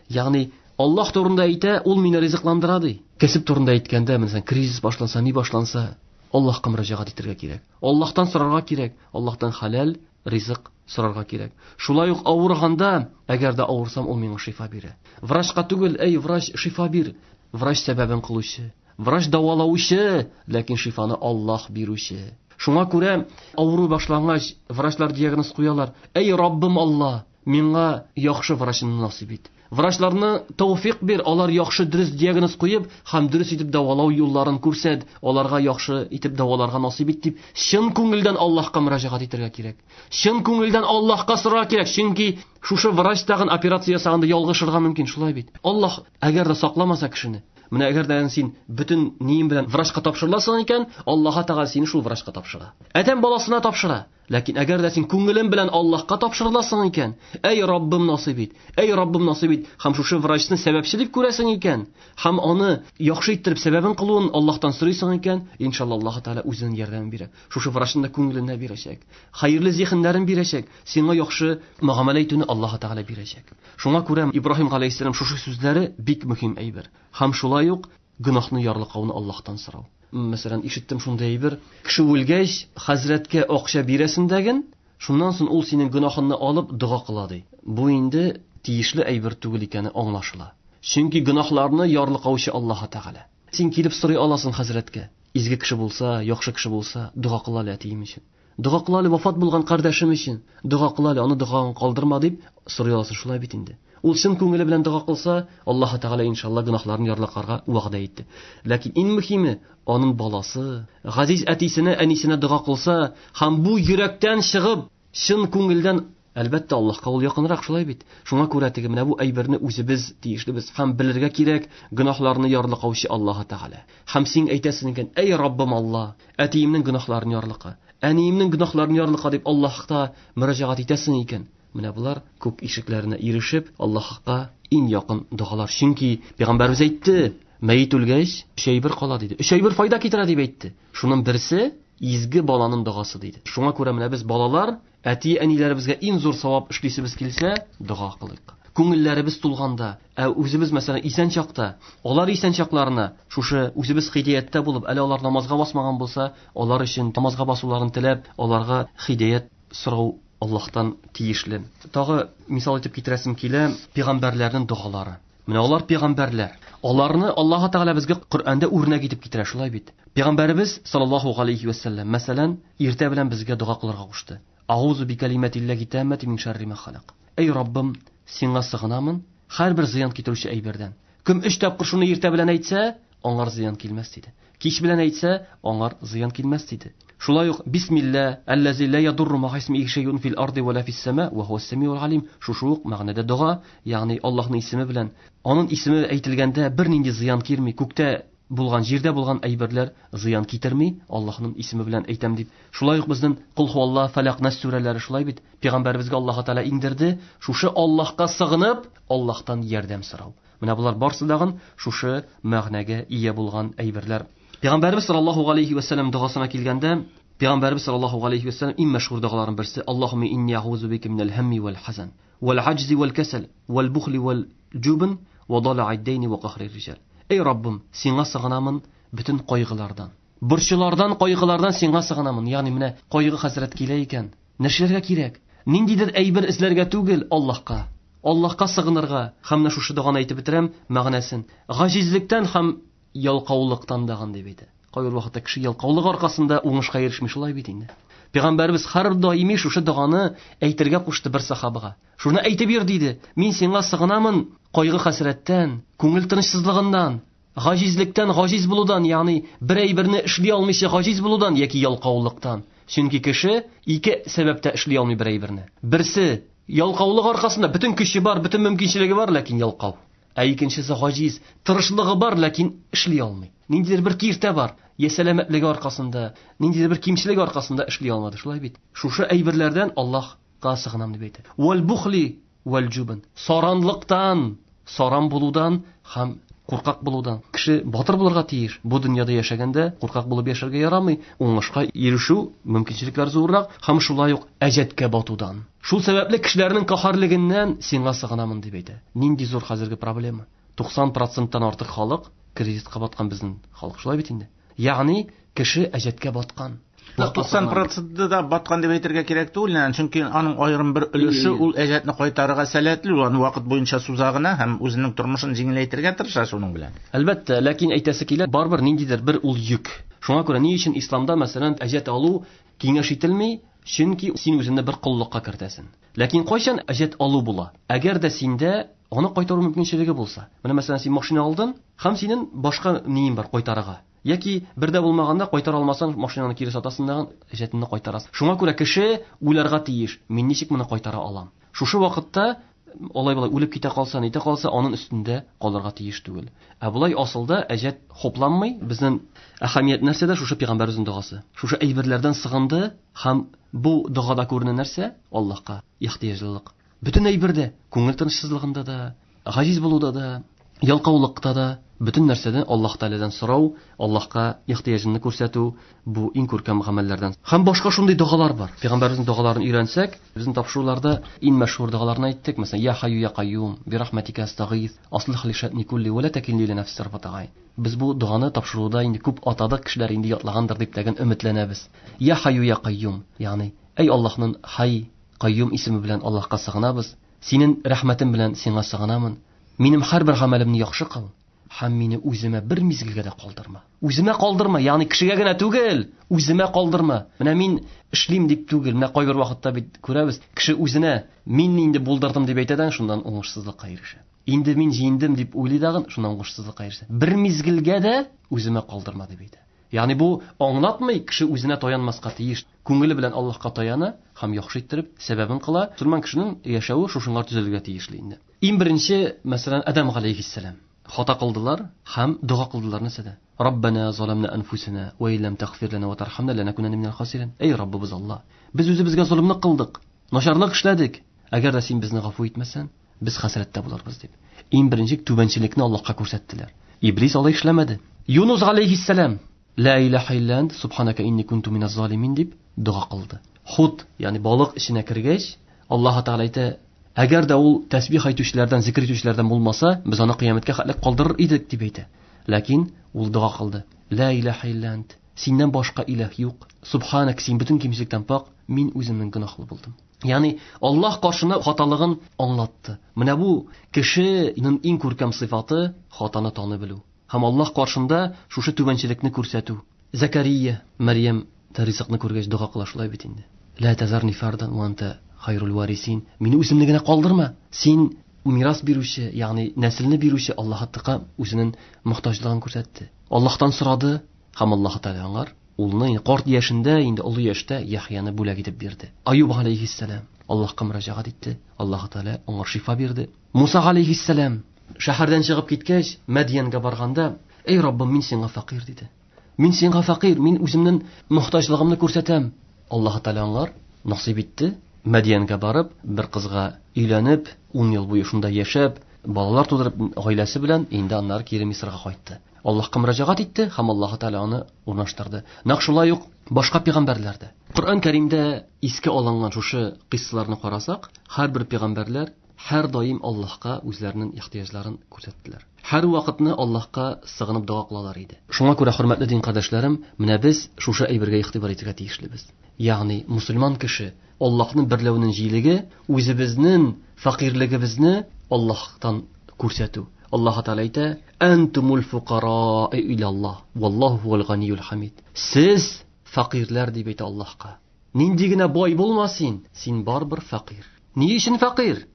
Ягъни Аллаһ турында әйтә, ул мине ризыкландыра ди. Кәсеп турында әйткәндә, мәсәлән, кризис башланса, ни башланса, Аллаһка мөрәҗәгать итәргә кирәк. Аллаһтан сорарга кирәк, Аллаһтан хәләл ризык сорарга кирәк. Шулай ук авырганда, әгәр дә авырсам, ул миңа шифа бирә. Врачка түгел, эй, врач, шифа бир. Врач сәбәбен кылучы, врач дәвалаучы, ләкин шифаны Аллаһ бирүче. Шуңа күрә авыру башлангач, врачлар диагноз куялар. Эй, Раббым Аллаһ, миңа яхшы врачны насыйп ит. Врачларны тәүфик бир, алар яхшы дөрес диагноз куеп һәм дөрес итеп дәвалау юлларын күрсәт, аларга яхшы итеп дәваларга насыйп ит дип, чын күңелдән Аллаһка мөрәҗәгать итәргә кирәк. Чын күңелдән Аллаһка сорарга кирәк, чөнки шушы врач тагын операция ясаганда ялгышырга мөмкин, шулай бит. Аллаһ әгәр дә сакламаса кешене, менә әгәр дә син бөтен нием белән врачка тапшырыласың икән, Аллаһ Тәгалә сине шул врачка тапшыра. Адәм баласына тапшыра. Ләкин әгәр дә син күңелең белән Аллаһка тапшырыласың икән, әй Раббым насыйп ит, әй Раббым насыйп ит, һәм шушы врачны сәбәпче дип күрәсең икән, һәм аны яхшы иттереп сәбәбен кылуын Аллаһтан сорыйсың икән, иншалла Аллаһ Тәгалә үзенең ярдәмен бирә. Шушы врачның да күңеленә бирәчәк, хәерле зиһеннәрен бирәчәк, сиңа яхшы мөгамәлә итүне Аллаһ Тәгалә бирәчәк. Шуңа күрә Ибраһим галәйһиссәлам шушы сүзләре бик мөһим әйбер. Һәм шулай ук гөнаһны ярлыкауны Аллаһтан сорау. Мәсәлән, ишеттем шундый әйбер, кеше үлгәч, хәзрәткә акча бирәсең дәген, шуннан соң ул синең гөнаһыңны алып дога кыла ди. Бу инде тиешле әйбер түгел икәне аңлашыла. Чөнки гөнаһларны ярлыкаучы Аллаһ Тәгалә. Син килеп сорый аласың хәзрәткә. Изге кеше булса, яхшы кеше булса, дога кыла әле әтием өчен. Дога кыла әле вафат булган кардәшем өчен. Дога кыла әле, аны догадан калдырма дип сорый аласың, шулай бит инде. Ул чын күңеле белән дога кылса, Аллаһ Тәгалә иншалла гөнаһларын ярлыкарга вәгъдә итте. Ләкин иң мөһиме, аның баласы, газиз әтисенә, әнисенә дога кылса, һәм бу йөрәктән чыгып, чын күңелдән, әлбәттә, Аллаһка ул якынрак, шулай бит. Шуңа күрә теге менә бу әйберне үзебез тиешлебез һәм белергә кирәк, гөнаһларны ярлыкаучы Аллаһ Тәгалә. Һәм син әйтәсең икән, әй Раббым Аллаһ, әтиемнең гөнаһларын ярлыка, әниемнең гөнаһларын ярлыка дип Аллаһка мөрәҗәгать итәсең икән. Менә булар күк ишекләренә ирешеп, Аллаһка иң якын догалар. Чөнки пәйгамбәребез әйтте, мәет үлгәч, өч әйбер кала диде. Өч әйбер файда китерә дип әйтте. Шуның берсе изге баланың догасы диде. Шуңа күрә менә без балалар, әти-әниләребезгә иң зур савап эшлисебез килсә, дога кылыйк. Күңелләребез тулганда, ә үзебез мәсәлән исән чакта, алар исән чакларына шушы үзебез хидаяттә булып, әле алар намазга басмаган булса, алар өчен намазга басуларын теләп, аларга хидаят сорау Аллаһтан тиешле. Тагы мисал итеп китерәсем килә, пәйгамбәрләрнең догалары. Менә алар пәйгамбәрләр. Аларны Аллаһ Тәгалә безгә Коръәндә үрнәк итеп китерә, шулай бит. Пәйгамбәребез саллаллаһу алейхи ва сәлләм, мәсәлән, иртә белән безгә дога кылырга кушты. Аузу бикалиматиллаһи таммати мин шарри ма халак. Эй Раббым, сиңа сыгынамын һәрбер зыян китерүче әйбердән. Кем өч тапкыр шуны иртә белән әйтсә, аңар зыян килмәс диде. Кич белән әйтсә, аңар зыян килмәс диде. Шулай ук бисмилла аллази ла ядурру ма исмихи шайъун фил арди ва ла фис сама ва хуас самиул алим. Шушы ук мәгънәдә дога, ягъни Аллаһның исеме белән, аның исеме әйтелгәндә бернинди зыян килми, күктә булган, җирдә булган әйберләр зыян китерми, Аллаһның исеме белән әйтәм дип. Шулай ук безнең Кул хуаллаһ, Фалак, Нас сүрәләре шулай бит. Пәйгамбәребезгә Аллаһ Тәгалә иңдерде, шушы Аллаһка сыгынып, Аллаһтан ярдәм сорау. Менә булар барсы дагын шушы мәгънәгә ия булган әйберләр. Пәйгамбәребез саллаллаһу алейхи ва сәлләм догасына килгәндә, Пәйгамбәребез саллаллаһу алейхи ва сәлләм иң мәшһүр догаларының берсе Аллаһумма инни аузу бика минәл һамми вал хазан вал аҗзи вал касал вал бухли вал җубн ва дала'ид дайн ва кахрир риҗал. Эй Раббым, сиңа сыгынамын бөтен кайгылардан, борчулардан, кайгылардан сиңа сыгынамын. Ягъни менә кайгы хәсрәт килә икән, нишләргә кирәк? Ниндидер әйбер эзләргә түгел, Аллаһка. Аллаһка сыгынырга. Һәм менә шушы доганы әйтеп бетерәм, мәгънәсен. Гаҗизлектән һәм ялкаулыктан даган дип әйтә. Кайбер вакытта кеше ялкаулык аркасында уңышка ирешми, шулай бит инде. Пәйгамбәрбез һәр даими шушы доганы әйтергә кушты бер сахабага. Шуны әйтеп бир диде. Мин сиңа сыгынамын кайгы хәсрәттән, күңел тынычсызлыгыннан, гаҗизлектән, гаҗиз булудан, ягъни бер әйберне эшли алмыйча гаҗиз булудан яки ялкаулыктан. Чөнки кеше ике сәбәптә эшли алмый бер әйберне. Берсе ялкаулык аркасында бөтен көче бар, бөтен мөмкинчелеге бар, ләкин ялкау. Ә икенчесе гаҗиз, тырышлыгы бар, ләкин эшли алмый. Ниндидер бер киртә бар, я сәламәтлеге аркасында, ниндидер бер кимчелеге аркасында эшли алмады, шулай бит. Шушы әйберләрдән Аллаһка сыгынам дип әйтә. Вал бухли вал жубн. Саранлыктан, саран булудан һәм куркак булудан. Кеше батыр булырга тиеш. Бу дөньяда яшәгәндә куркак булып яшәргә ярамый. Уңышка ирешү мөмкинчелекләр зуррак һәм шулай ук әҗәткә батудан. Шул сәбәпле кешеләрнең каһәрлегеннән сиңа сыгынамын дип әйтә. Нинди зур хәзерге проблема? туксан проценттан артык халык кредитка баткан безнең халык, шулай бит инде. Ягъни кеше әҗәткә баткан. туксан проценты да баткан дип әйтергә кирәк түгел, чөнки аның аерым бер өлеше ул әҗәтне кайтарырга сәләтле, ул аны вакыт буенча суза гына һәм үзенең тормышын җиңеләйтергә тырыша шуның белән. Әлбәттә, ләкин әйтәсе килә, барыбер ниндидер бер ул йөк. Шуңа күрә ни өчен исламда, мәсәлән, әҗәт алу киңәш ителми? Чөнки син үзеңне бер коллыкка кертәсең. Ләкин кайчан әҗәт алу була? Әгәр дә синдә аны кайтару мөмкинчелеге булса. Менә мәсәлән, син машина алдың һәм синең башка ниең бар кайтарырга. Яки бердә булмаганда кайтара алмасаң, машинаны кире сатасың да әҗәтеңне кайтарасың. Шуңа күрә кеше уйларга тиеш, мин ничек моны кайтара алам? Шушы вакытта алай болай үлеп китә калса, нитә калса, аның өстендә калырга тиеш түгел. Ә болай асылда әҗәт хопламый. Безнең әһәмият нәрсәдә? Шушы пәйгамбәребезнең догасы. Шушы әйберләрдән сыгынды һәм бу догада күренә нәрсә? Аллаһка ихтыяҗлылык. Бөтен әйбердә, күңел тынычсызлыгында да, гаҗиз булуда да, ялкаулыкта да, бөтен нәрсәдән Аллаһ Тәгаләдән сорау, Аллаһка ихтыяҗыңны күрсәтү бу иң күркәм гамәлләрдән. Һәм башка шундый догалар бар. Пәйгамбәребезнең догаларын өйрәнсәк, безнең тапшыруларда иң мәшһүр догаларны әйттек. Мәсәлән, Я Хайю я Кайюм, би рахматика астагиз, аслих ли шәъни кулли ва ла такилни иля нафси тарфата гайн. Без бу доганы тапшыруда инде күп атадык, кешеләр инде ятлагандыр дип тәген өметләнәбез. Я Хайю я Кайюм, ягъни әй Аллаһның Хай, Кайюм исеме белән Аллаһка сыгынабыз. Синең рәхмәтең белән сиңа сыгынамын. Минем һәрбер гамәлемне яхшы кыл. Һәм мине үземә бер мизгелгә дә калдырма. Үземә калдырма, ягъни кешегә генә түгел, үземә калдырма. Менә мин эшлим дип түгел, менә кайбер вакытта бит күрәбез, кеше үзенә мин инде булдырдым дип әйтә дә, шуннан уңышсызлыкка ирешә. Инде мин җиңдем дип уйлый дагын, шуннан уңышсызлыкка ирешә. Бер мизгелгә дә үземә калдырма дип әйтә. Ягъни бу аңлатмый, кеше үзенә таянмаска тиеш. Күңеле белән Аллаһка таяна һәм яхшы иттереп сәбәбен кыла. Мөселман кешенең яшәве шушыңар төзелергә тиешле инде. Иң беренче, мәсәлән, Адам галәйһиссәлам хата кылдылар һәм дога кылдылар нәрсәдә? Раббана заламна анфусана ва иллам тагфир лана ва тархамна ланакунанна минал хасирин. Эй Раббыбыз Аллаһ, без үзебезгә золымлык кылдык, начарлык эшләдек. Әгәр дә син безне гафу итмәсәң, без хәсрәттә булырбыз дип. Иң беренче түбәнчелекне Аллаһка күрсәттеләр. Иблис алай эшләмәде. Юнус галәйһиссәлам ла илаһа илля ант субханака инни кунту миназ залимин дип дога кылды. Хут, ягъни балык эченә кергәч, Аллаһ Тәгалә әйтә, әгәр дә ул тәсбих әйтүчеләрдән, зикр итүчеләрдән булмаса, без аны кыямәткә хәтле калдырыр идек дип әйтә. Ләкин ул дога кылды. Ла илаһа илля ант, синнән башка илаһ юк. Субханак, син бөтен кимчелектән пак, мин үземнең гөнаһлы булдым. Ягъни Аллаһ каршында хаталыгын аңлатты. Менә бу кешенең иң күркәм сыйфаты хатаны танып белү. Һәм Аллаһ каршында шушы түбәнчелекне күрсәтү. Закария, Мәрьям ризыкны күргәч дога кыла шулай бит инде. Ла тазарни фардан ва анта хайрул варисин. Мине үземне генә калдырма. Син мирас бирүче, ягъни нәселне бирүче Аллаһ Тәгалә үзенең мохтаҗлыгын күрсәтте. Аллаһтан сорады һәм Аллаһ Тәгалә аңар улны карт яшендә, инде олы яшьтә Яхъяны бүләк итеп бирде. Аюб галәйһиссәлам Аллаһка мөрәҗәгать итте. Аллаһ Тәгалә аңа шифа бирде. Муса галәйһиссәлам шәһәрдән чыгып киткәч, Мәдьянгә барганда, "Эй Раббым, мин сиңа фәкыйрь" диде. Мин сиңа фәкыйрь, мин үземнең мохтаҗлыгымны күрсәтәм. Аллаһ Тәгалә аңар насыйп итте. Мәдьянгә барып, бер кызга өйләнеп, ун ел буе шунда яшәп, балалар тудырып, гаиләсе белән инде аннары кире Мисырга кайтты. Аллаһка мөрәҗәгать итте һәм Аллаһ Тәгалә аны урнаштырды. Нәкъ шулай ук башка пәйгамбәрләр дә. Коръән Кәримдә искә алынган шушы кыйссаларны карасак, һәрбер пәйгамбәрләр һәр даим Аллаһка үзләренең ихтыяҗларын күрсәттеләр. Һәр вакытны Аллаһка сыгынып дога кылалар иде. Шуңа күрә, хөрмәтле дин кардәшләрем, менә без шушы әйбергә игътибар итәргә тиешлебез. Ягъни мусульман кеше Аллаһның берләүенең җилеге, үзебезнең фәкыйрьлегебезне Аллаһтан күрсәтү. Аллаһ Тәгалә әйтә: "Антумул фукара илаллаһ, валлаһу хуал ганиюл хамид." Сез фәкыйрьләр дип әйтә Аллаһка. Нинди генә бай булма син, син барыбер фәкыйрь. Ни өчен фәкыйрь?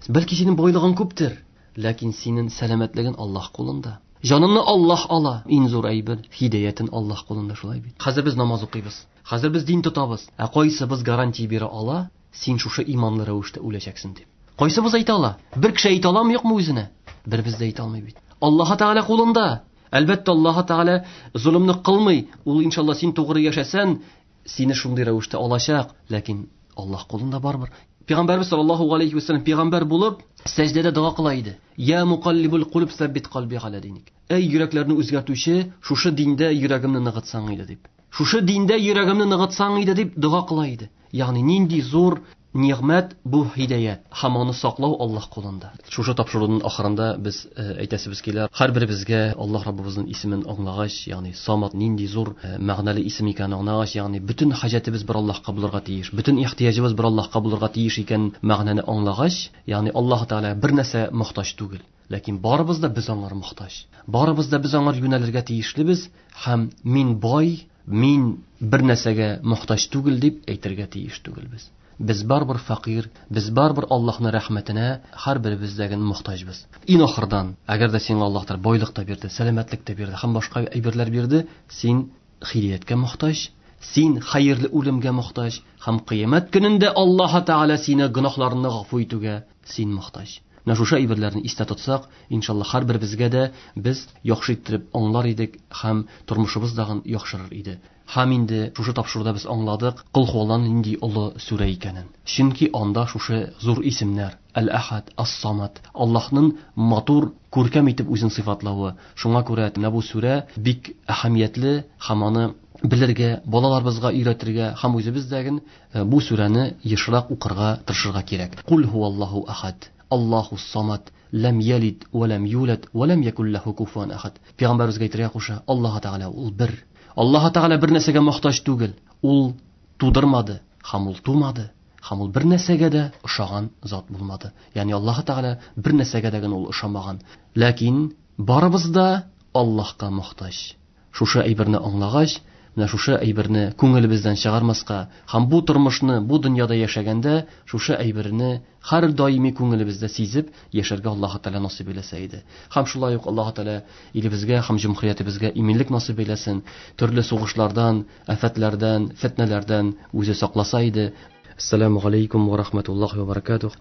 Бәлки синең байлыгың күптер, ләкин синең сәламәтлегең Аллаһ кулында. Җаныңны Аллаһ ала. Иң зур әйбер һидаятен Аллаһ кулында, шулай бит. Хәзер без намаз укыйбыз. Хәзер без дин тотабыз. Ә кайсыбыз гарантия бирә ала, син шушы иманлы рәвештә үләчәксең дип? Кайсыбыз әйтә ала? Бер кеше әйтә аламы, юкмы үзенә? Беребез дә әйтә алмый бит. Аллаһ Тәгалә кулында. Әлбәттә, Аллаһ Тәгалә золымны кылмый. Ул иншалла син тугры яшәсән, сине шундый рәвештә алачак, ләкин Аллаһ кулында барыбер. Пәйгамбәрбез саллаллаһу алейхи ва саллям пәйгамбәр булып, сәҗдәдә дога кыла иде. Я мукаллибул кулуб саббит калби аля диник. Эй йөрәкләрне үзгәртүче, шушы диндә йөрәгемне ныгытсаң иде дип. Шушы диндә йөрәгемне ныгытсаң иде дип дога кыла иде. Ягъни нинди зур нигъмәт бу һидаят һәм аны саклау Аллаһ кулында. Шушы тапшыруның ахырында без әйтәсебез килә, һәрберебезгә Аллаһ Раббыбызның исемен аңлагач, ягъни Самат нинди зур мәгънәле исем икәнен аңлагач, ягъни бөтен хаҗәтебез бер Аллаһка булырга тиеш, бөтен ихтыяҗыбыз бер Аллаһка булырга тиеш икән мәгънәне аңлагач, ягъни Аллаһ Тәгалә бер нәрсә мохтаҗ түгел. Ләкин барыбыз да без аңар мохтаҗ. Барыбыз да без аңар юнәлергә тиешлебез һәм мин бай, мин бер нәрсәгә мохтаҗ түгел дип әйтергә тиеш түгелбез. Без барыбер фәкыйрь, без барыбер Аллаһның рәхмәтенә һәрберебездәген мохтаҗбыз. Иң ахырдан, әгәр дә сиңа Аллаһ Тәгалә байлык та бирде, сәламәтлек тә бирде һәм башка әйберләр бирде, син хидаяткә мохтаҗ, син хәерле үлемгә мохтаҗ һәм кыямәт көнендә Аллаһ Тәгалә сине гөнаһларыңны гафу итүгә син мохтаҗ. Менә шушы әйберләрне истә тотсак, иншалла һәрберебезгә дә без яхшы иттереп аңлар идек һәм тормышыбыз дагын яхшырыр иде. Һәм инде шушы тапшыруда без аңладык Кол һуалланың нинди олы сүрә икәнен. Чөнки анда шушы зур исемнәр Әл-Әхад, Ас-Самад, Аллаһның матур, күркәм итеп үзен сыйфатлавы. Шуңа күрә менә бу сүрә бик әһәмиятле һәм аны белергә, балаларыбызга өйрәтергә һәм үзебездәген бу сүрәне ешрак укырга тырышырга кирәк. Кул һуаллаһу әхад, Аллаһу самад, ләм ялид ва ләм юлад ва ләм якул ләһу куфуан әхад. Пәйгамбәребезгә әйтергә куша, Аллаһ Тәгалә ул бер. Аллаһ Тәгалә бер нәрсәгә мохтаҗ түгел. Ул тудырмады, һәм ул тумады, һәм ул бер нәрсәгә дә ошаган зат булмады. Ягъни Аллаһ Тәгалә бер нәрсәгә дә генә ул ошамаган. Ләкин барыбыз да Аллаһка мохтаҗ. Шушы әйберне аңлагач, менә шушы әйберне күңелебездән чыгармаска һәм бу тормышны, бу дөньяда яшәгәндә шушы әйберне һәр даими күңелебездә сизеп яшәргә Аллаһ Тәгалә насыйп әйләсә иде. Һәм шулай ук Аллаһ Тәгалә илебезгә һәм җөмһүриятебезгә иминлек насыйп әйләсен, төрле сугышлардан, афәтләрдән, фетнәләрдән үзе сакласа иде. Ассаламу алейкум ва рахматуллахи ва баракатух.